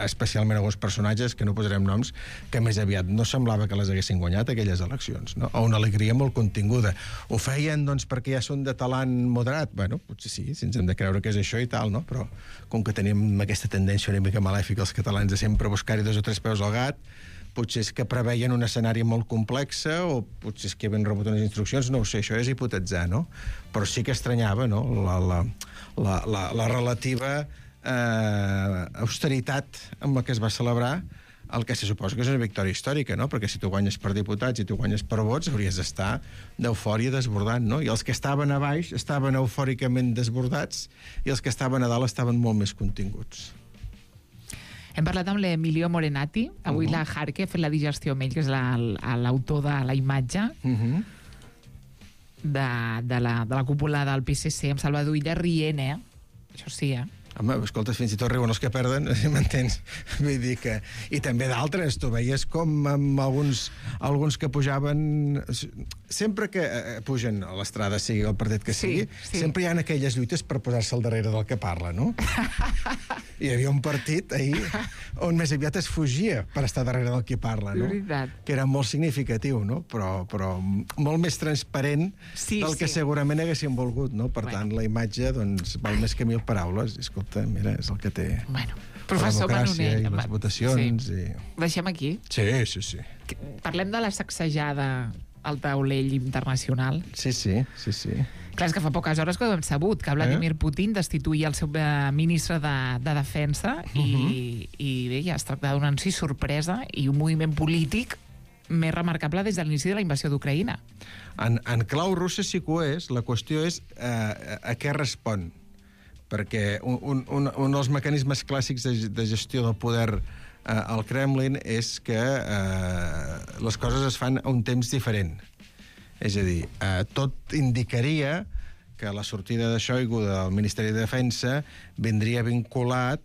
especialment alguns personatges, que no posarem noms, que més aviat no semblava que les haguessin guanyat aquelles eleccions, no? O una alegria molt continguda. Ho feien, doncs, perquè ja són de talant moderat? Bueno, potser sí, si ens hem de creure que és això i tal, no? Però com que tenim aquesta tendència una mica malèfica els catalans de sempre buscar-hi 2 o 3 peus al gat, potser és que preveien un escenari molt complex o potser és que havien rebut unes instruccions, no ho sé, això és hipotetitzar, no? Però sí que estranyava, no?, la relativa austeritat amb la que es va celebrar el que se suposa que és una victòria històrica, no? Perquè si tu guanyes per diputats i tu guanyes per vots, hauries d'estar d'eufòria desbordant, no? I els que estaven a baix estaven eufòricament desbordats i els que estaven a dalt estaven molt més continguts. Hem parlat amb l'Emilio Morenati. Avui la Jarque ha fet la digestió amb ell, que és l'autor de la imatge de la cúpula del PSC, amb Salvador Illa rient, Això sí, Home, escolta, fins i tot riuen els que perden, si m'entens? Vull dir que... I també d'altres, tu veies com amb alguns que pujaven... Sempre que pugen a l'estrada, sigui el partit que sigui, sempre hi ha aquelles lluites per posar-se al darrere del que parla, no? Hi havia un partit ahir on més aviat es fugia per estar darrere del que parla, no? Que era molt significatiu, no? Però molt més transparent del que segurament haguessin volgut, no? Per tant, la imatge, doncs, val més que 1000 paraules. Escolta, mira, és el que té la democràcia i les votacions. Deixem aquí? Sí. Parlem de la sacsejada al taulell internacional. Sí. Clar, és que fa poques hores que ho hem sabut, que Vladimir Putin destituïa el seu ministre de Defensa i bé, ja es tracta d'un anunci sorpresa i un moviment polític més remarcable des de l'inici de la invasió d'Ucraïna. En clau russa sí que ho és. La qüestió és a què respon. Perquè un dels mecanismes clàssics de gestió del poder al Kremlin és que les coses es fan a un temps diferent. És a dir, tot indicaria que la sortida de Shoigu del Ministeri de Defensa vindria vinculat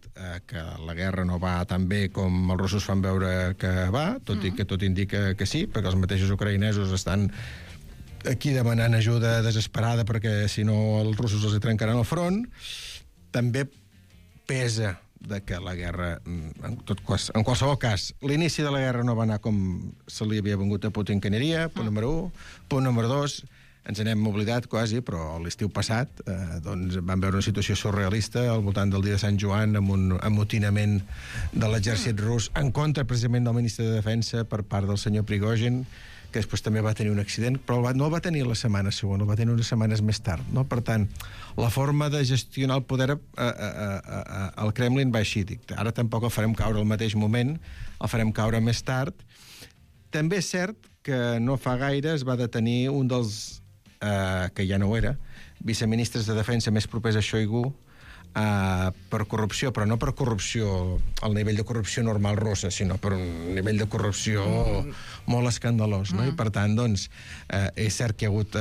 que la guerra no va tan bé com els russos fan veure que va, tot i que tot indica que sí, perquè els mateixos ucraïnesos estan aquí demanant ajuda desesperada perquè si no els russos els hi trencaran el front. També pesa de que la guerra, en qualsevol cas, l'inici de la guerra no va anar com se li havia vengut a Putin que aniria, punt número 1. Punt número 2, ens n'hem oblidat quasi, però l'estiu passat doncs vam veure una situació surrealista al voltant del dia de Sant Joan amb un amotinament de l'exèrcit rus en contra precisament del ministre de Defensa per part del senyor Prigozhin, que després també va tenir un accident, però no el va tenir la setmana següent, el va tenir unes setmanes més tard. No? Per tant, la forma de gestionar el poder al Kremlin va així. Ara tampoc el farem caure al mateix moment, el farem caure més tard. També és cert que no fa gaire es va detenir un dels, que ja no ho era, viceministres de Defensa més propers a Shoigu, per corrupció, però no per corrupció al nivell de corrupció normal russa, sinó per un nivell de corrupció molt escandalós, no? I per tant, doncs, és cert que hi ha hagut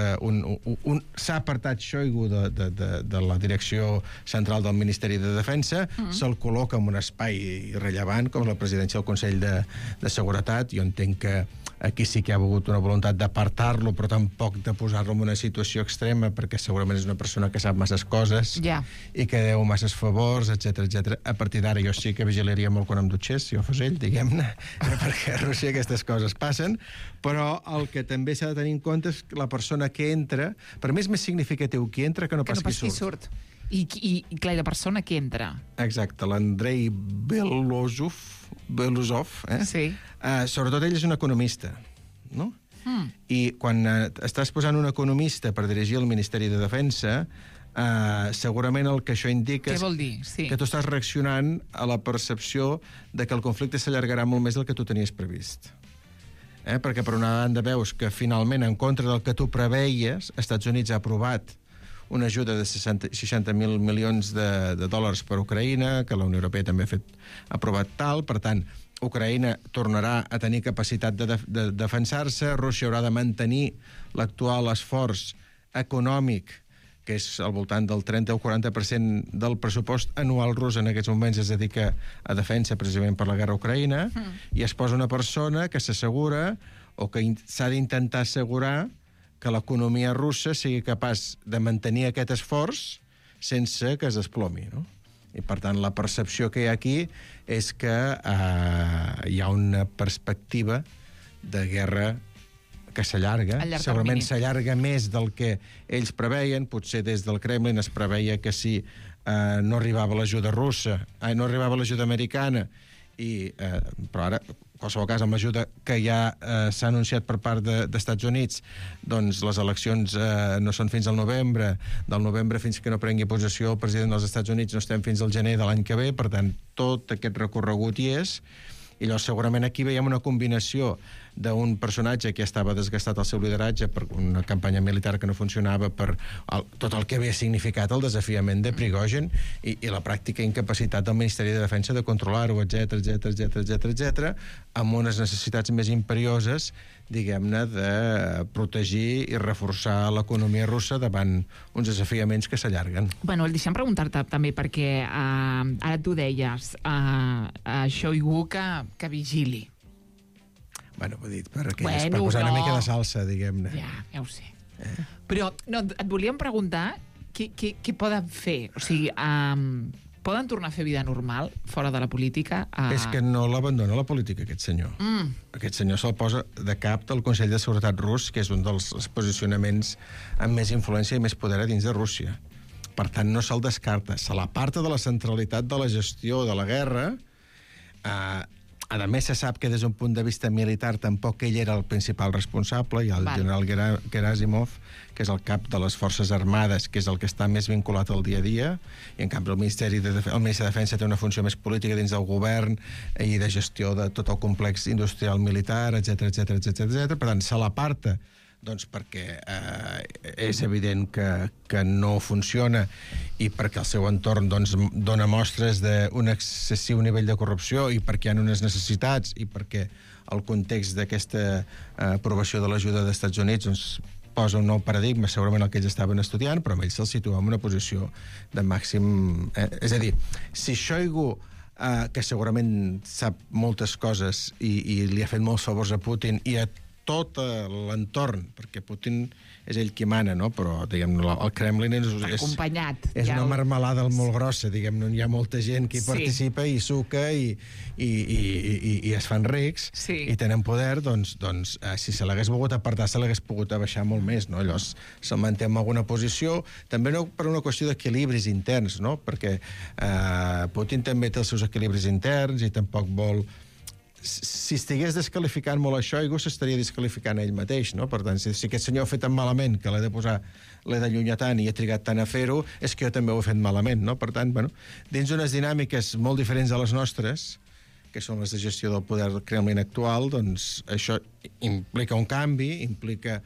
s'ha apartat Shoigu de la direcció central del Ministeri de Defensa, se'l col·loca en un espai irrellevant, com la presidència del Consell de Seguretat. Jo entenc que aquí sí que hi ha hagut una voluntat d'apartar-lo, però tampoc de posar-lo en una situació extrema, perquè segurament és una persona que sap masses coses i que deu masses favors, etc. A partir d'ara jo sí que vigilaria molt quan em dutxés, si jo fos ell, diguem-ne, perquè a Rússia aquestes coses passen, però el que també s'ha de tenir en compte és que la persona que entra, per mi és més significatiu qui entra que no pas qui surt. I clar, la persona que entra. Exacte, l'Andrei Belozov, sí. Sobretot ell és un economista, no? I quan estàs posant un economista per dirigir el Ministeri de Defensa, segurament el que això indica què vol dir? Sí. Que tu estàs reaccionant a la percepció de que el conflicte s'allargarà molt més del que tu tenies previst. Perquè per una banda veus que finalment, en contra del que tu preveies, Estats Units ha aprovat una ajuda de 60.000 milions de dòlars per a Ucraïna, que la Unió Europea també ha aprovat tal. Per tant, Ucraïna tornarà a tenir capacitat de defensar-se, Rússia haurà de mantenir l'actual esforç econòmic, que és al voltant del 30 o 40% del pressupost anual rus en aquests moments es dedica a defensa precisament per la guerra a Ucraïna, i es posa una persona que s'assegura o que s'ha d'intentar assegurar que l'economia russa sigui capaç de mantenir aquest esforç sense que es desplomi, no? I, per tant, la percepció que hi ha aquí és que hi ha una perspectiva de guerra que s'allarga. Segurament s'allarga més del que ells preveien. Potser des del Kremlin es preveia que si no arribava l'ajuda russa, no arribava l'ajuda americana, però ara, en qualsevol cas, amb l'ajuda que ja s'ha anunciat per part d'Estats Units, doncs les eleccions no són fins al novembre. Del novembre fins que no prengui possessió el president dels Estats Units no estem fins al gener de l'any que ve, per tant, tot aquest recorregut hi és. I llavors segurament aquí veiem una combinació d'un personatge que estava desgastat al seu lideratge per una campanya militar que no funcionava, per tot el que havia significat el desafiament de Prigozhin i la pràctica incapacitat del Ministeri de Defensa de controlar-ho, etc., amb unes necessitats més imperioses, diguem-ne, de protegir i reforçar l'economia russa davant uns desafiaments que s'allarguen. Bueno, deixa'm preguntar-te també, perquè ara tu deies Shoigu que vigili. Bueno, ho he dit, per posar una mica de salsa, diguem-ne. Ja ho sé. Però et volíem preguntar què poden fer? O sigui, poden tornar a fer vida normal fora de la política? És que no l'abandona la política, aquest senyor. Aquest senyor se'l posa de cap del Consell de Seguretat rus, que és un dels posicionaments amb més influència i més poder a dins de Rússia. Per tant, no se'l descarta. Se l'aparta de la centralitat de la gestió de la guerra. A més, se sap que des d'un punt de vista militar tampoc ell era el principal responsable, i el general Gerasimov, que és el cap de les Forces Armades, que és el que està més vinculat al dia a dia, i en canvi el Ministeri de Defensa té una funció més política dins del govern i de gestió de tot el complex industrial militar, etc. Per tant, se l'aparta doncs perquè és evident que no funciona i perquè el seu entorn doncs, dona mostres d'un excessiu nivell de corrupció i perquè hi ha unes necessitats i perquè el context d'aquesta aprovació de l'ajuda dels Estats Units doncs, posa un nou paradigma, segurament el que ells estaven estudiant, però amb ells se'ls situa en una posició de màxim... És a dir, si Shoigu, que segurament sap moltes coses i li ha fet molts favors a Putin i a tot l'entorn, perquè Putin és ell qui mana, no? Però, diguem, el Kremlin acompanyat. És una marmelada molt grossa, diguem, hi ha molta gent que hi participa i suca i es fan rics i tenen poder, doncs si se l'hagués volgut apartar, se l'hagués pogut abaixar molt més, no? Llavors se'l manté en alguna posició, també no per una qüestió d'equilibris interns, no? Perquè Putin també té els seus equilibris interns i tampoc vol... Si estigués desqualificant molt això, ell s'estaria desqualificant ell mateix, no? Per tant, si aquest senyor ha fet tan malament que l'he d'allunyar tant i he trigat tant a fer-ho, és que jo també ho he fet malament, no? Per tant, bueno, dins unes dinàmiques molt diferents de les nostres, que són les de gestió del poder del Kremlin actual, doncs això implica un canvi, implica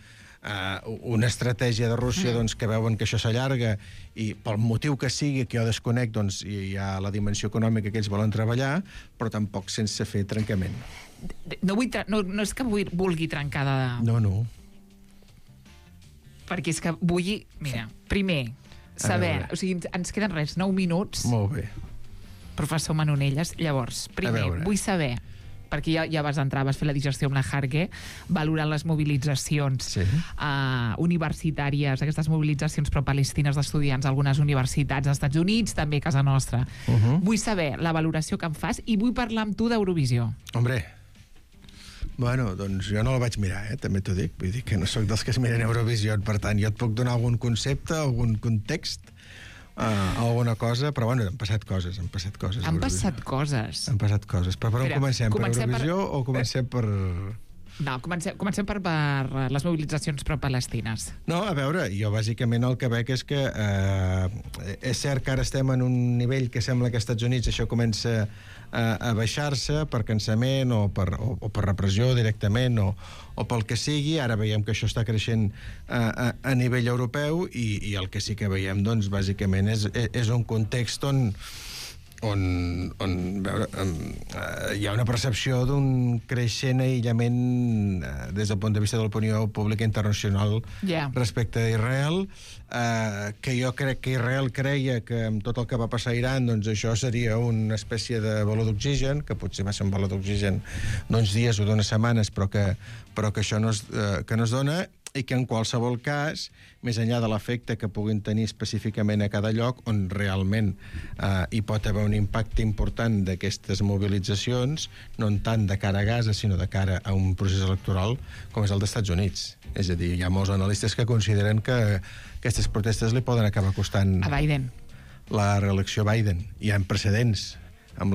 una estratègia de Rússia doncs, que veuen que això s'allarga i pel motiu que sigui, que jo desconec, doncs hi ha la dimensió econòmica que ells volen treballar, però tampoc sense fer trencament. No és que vulgui trencar de... No. Perquè és que vull... Mira, primer, saber... O sigui, ens queden 9 minuts. Molt bé. Professor Manonelles, llavors, primer, vull saber... perquè ja vas entrar, vas fer la digestió amb la Harke, valorant les mobilitzacions universitàries, aquestes mobilitzacions pro-palestines d'estudiants a algunes universitats als Estats Units, també a casa nostra. Vull saber la valoració que em fas i vull parlar amb tu d'Eurovisió. Hombre, bueno, doncs jo no la vaig mirar, també t'ho dic. Vull dir que no sóc dels que es miren Eurovisió, per tant, jo et puc donar algun concepte, algun context, alguna cosa, però bueno, han passat coses. Han passat coses. Però per on comencem? Per Eurovisió o comencem per... No, comencem per les mobilitzacions pro-palestines. No, a veure, jo bàsicament el que veig és que és cert que ara estem en un nivell que sembla que als Estats Units això comença a baixar-se per cansament o per repressió directament o pel que sigui. Ara veiem que això està creixent a nivell europeu i el que sí que veiem, doncs, bàsicament és un context on hi ha una percepció d'un creixent aïllament des del punt de vista de l'opinió pública internacional respecte a Israel, que jo crec que Israel creia que amb tot el que va passar a Iran, doncs això seria una espècie de baló d'oxigen, que potser va ser un baló d'oxigen d'uns dies o d'unes setmanes, però que això no es dona, i que en qualsevol cas, més enllà de l'efecte que puguin tenir específicament a cada lloc, on realment hi pot haver un impacte important d'aquestes mobilitzacions, no tant de cara a Gaza, sinó de cara a un procés electoral com és el dels Estats Units. És a dir, hi ha molts analistes que consideren que aquestes protestes li poden acabar costant a Biden la reelecció a Biden. Hi ha precedents amb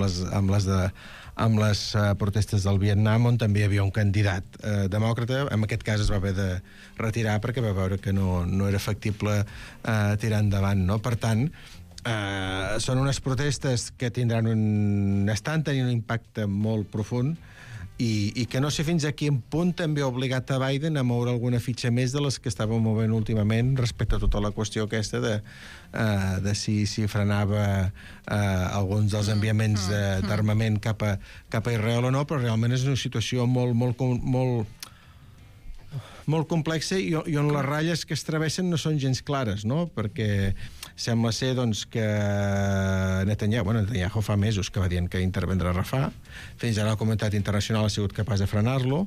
les protestes del Vietnam, on també hi havia un candidat demòcrata. En aquest cas es va haver de retirar perquè va veure que no era factible tirar endavant, no? Per tant, són unes protestes que estan tenint un impacte molt profund i que no sé fins a quin punt també ha obligat a Biden a moure alguna fitxa més de les que estava movent últimament respecte a tota la qüestió aquesta de si frenava alguns dels enviaments d'armament cap a Israel o no, però realment és una situació molt complexa i on les ratlles que es travessen no són gens clares, no? Perquè sembla ser doncs, que Netanyahu fa mesos que va dient que intervendrà a Rafah. Fins ara la comunitat internacional ha sigut capaç de frenar-lo,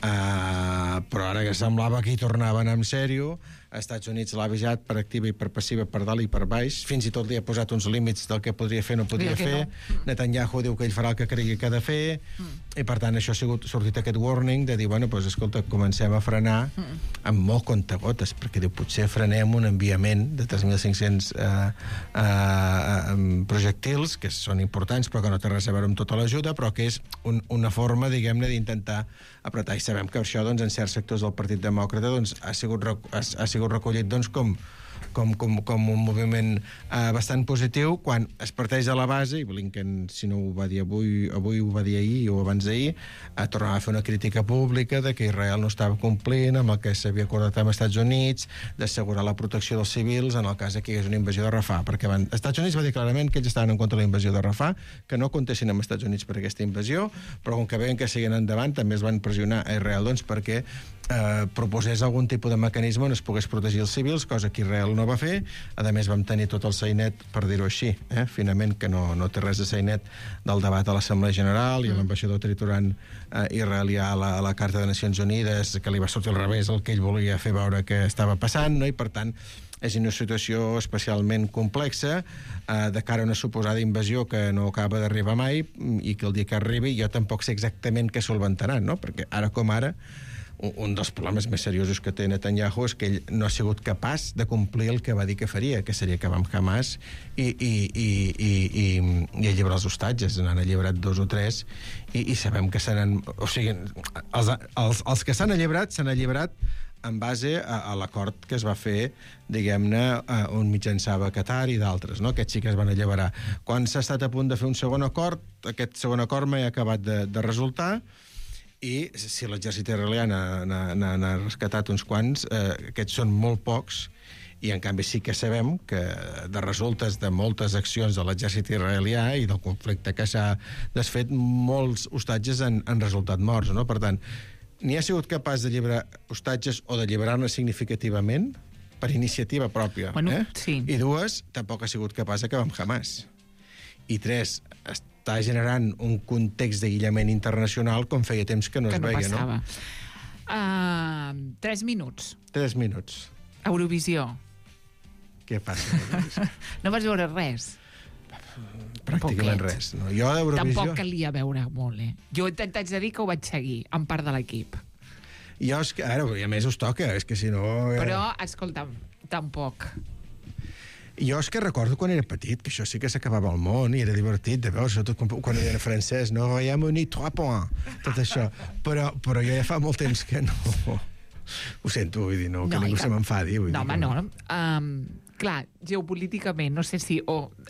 però ara que semblava que hi tornaven en sèrio. Els Estats Units l'ha avisat per activa i per passiva, per dalt i per baix, fins i tot li ha posat uns límits del que podria fer o no podria fer. Netanyahu diu que ell farà el que cregui que ha de fer, i per tant això ha sortit aquest warning de dir, bueno, doncs escolta, comencem a frenar amb molt comptagotes, perquè diu, potser frenem un enviament de 3.500 projectils, que són importants però que no té res a veure amb tota l'ajuda, però que és una forma, diguem-ne, d'intentar apretar. I sabem que això, doncs, en certs sectors del Partit Demòcrata, doncs, ha sigut recollit, doncs, com un moviment bastant positiu, quan es parteix de la base, i Blinken, si no ho va dir avui ho va dir ahir o abans d'ahir, tornava a fer una crítica pública de que Israel no estava complint amb el que s'havia acordat amb els Estats Units, d'assegurar la protecció dels civils en el cas que hi hagués una invasió de Rafah, perquè els Estats Units va dir clarament que ells estaven en contra de la invasió de Rafah, que no comptessin amb els Estats Units per aquesta invasió, però com que veien que seguien endavant, també es van pressionar a Israel, doncs, perquè proposés algun tipus de mecanisme on es pogués protegir els civils, cosa que Israel no va fer. A més, vam tenir tot el sainet, per dir-ho així, finament, que no té res de sainet del debat a l'Assemblea General i l'ambaixador triturant israelià a la Carta de Nacions Unides, que li va sortir al revés el que ell volia fer veure que estava passant, no? I, per tant, és una situació especialment complexa de cara a una suposada invasió que no acaba d'arribar mai i que el dia que arribi jo tampoc sé exactament què solventaran, no? Perquè ara com ara un dels problemes més seriosos que té Netanyahu és que ell no ha sigut capaç de complir el que va dir que faria, que seria acabar amb Hamas i alliberar els hostatges. N'han alliberat 2 o 3 i sabem que se n'han... O sigui, els que s'han alliberat en base a l'acord que es va fer, diguem-ne, on mitjançava Qatar i d'altres, no? Aquests sí que es van alliberar. Quan s'ha estat a punt de fer un segon acord, aquest segon acord mai ha acabat de resultar, i si l'exèrcit israelià n'ha rescatat uns quants, aquests són molt pocs, i en canvi sí que sabem que de resultes de moltes accions de l'exèrcit israelià i del conflicte que s'ha desfet, molts hostatges han resultat morts, no? Per tant, ni ha sigut capaç d'alliberar hostatges o d'alliberar-ne significativament per iniciativa pròpia. Bueno, sí. I 2, tampoc ha sigut capaç d'acabar amb Hamas. I 3, està generant un context d'aïllament internacional com feia temps que no es veia, passava. 3 minuts. 3 minuts. Eurovisió. Què passa? No vas veure res? Pràcticament res. No? Jo d'Eurovisió... Tampoc calia veure molt, Jo t'haig de dir que ho vaig seguir, en part de l'equip. Jo és que, ara, i a més us toca, és que si no... Però, escolta'm, tampoc. Jo és que recordo quan era petit, que això sí que s'acabava al món i era divertit de veure, sobretot quan era francès, no, hi ha unit 3 points, tot això. Però jo ja fa molt temps que no... Ho sento, vull dir, no, que ningú se m'enfadi. No, home, no. Clar, geopolíticament, no sé si...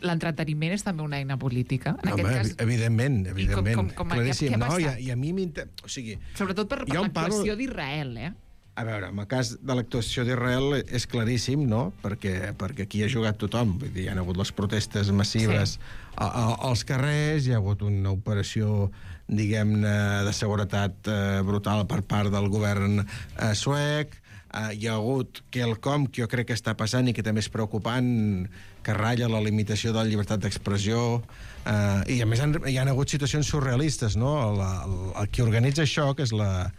l'entreteniment és també una eina política. En aquest cas... Evidentment. Claríssim. No, i a mi m'interessa... O sigui, sobretot per l'actuació d'Israel, A veure, en el cas de l'actuació d'Israel és claríssim, no? Perquè aquí ha jugat tothom. Vull dir, hi ha hagut les protestes massives als carrers, hi ha hagut una operació, diguem-ne, de seguretat brutal per part del govern suec, hi ha hagut quelcom que jo crec que està passant i que també és preocupant, que ratlla la limitació de la llibertat d'expressió, i a més hi ha hagut situacions surrealistes, no? El que organitza això, que és la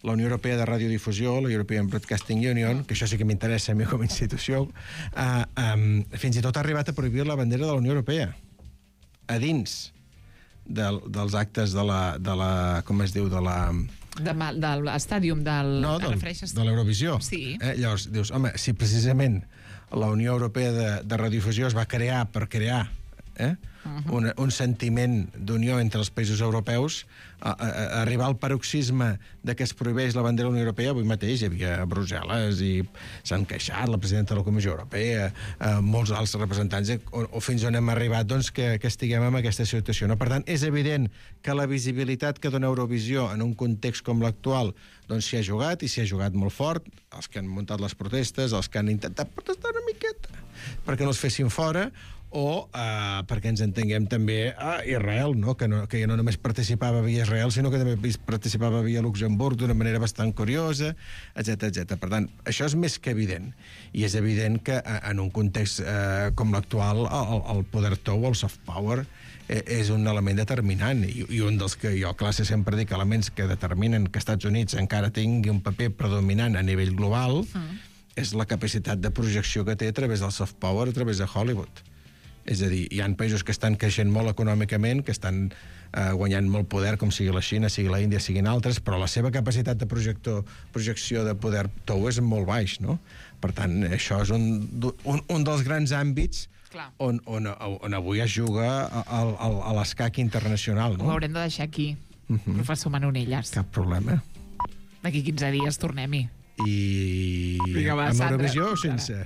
Unió Europea de Radiodifusió, la European Broadcasting Union, que això sí que m'interessa a mi com a institució, fins i tot ha arribat a prohibir la bandera de la Unió Europea a dins dels actes de la com es diu, de l'estàdium del... No, de l'Eurovisió. Sí. Llavors, dius, home, si precisament la Unió Europea de Radiodifusió es va crear per crear un sentiment d'unió entre els països europeus, arribar al paroxisme de que es prohibeix la bandera de la Unió Europea. Avui mateix hi havia a Brussel·les i s'han queixat la presidenta de la Comissió Europea, molts altres representants, o fins on hem arribat doncs, que estiguem en aquesta situació. No? Per tant, és evident que la visibilitat que dona Eurovisió en un context com l'actual doncs s'hi ha jugat, i s'hi ha jugat molt fort, els que han muntat les protestes, els que han intentat protestar una miqueta perquè no els fessin fora, o perquè ens entenguem també a Israel, no? Que ja no només participava via Israel, sinó que també participava via Luxemburg d'una manera bastant curiosa, etc. Per tant, això és més que evident. I és evident que en un context com l'actual, el poder tou, el soft power, és un element determinant, i un dels que jo a classe sempre dic elements que determinen que Estats Units encara tingui un paper predominant a nivell global, és la capacitat de projecció que té a través del soft power, a través de Hollywood. És a dir, hi ha països que estan creixent molt econòmicament, que estan guanyant molt poder, com sigui la Xina, sigui la Índia, siguin altres, però la seva capacitat de projecció de poder tou és molt baix, no? Per tant, això és un dels grans àmbits on avui es juga a l'escac internacional, no? Ho haurem de deixar aquí, professor Manonelles. Cap problema. D'aquí 15 dies tornem-hi. I amb Eurovisió o sense?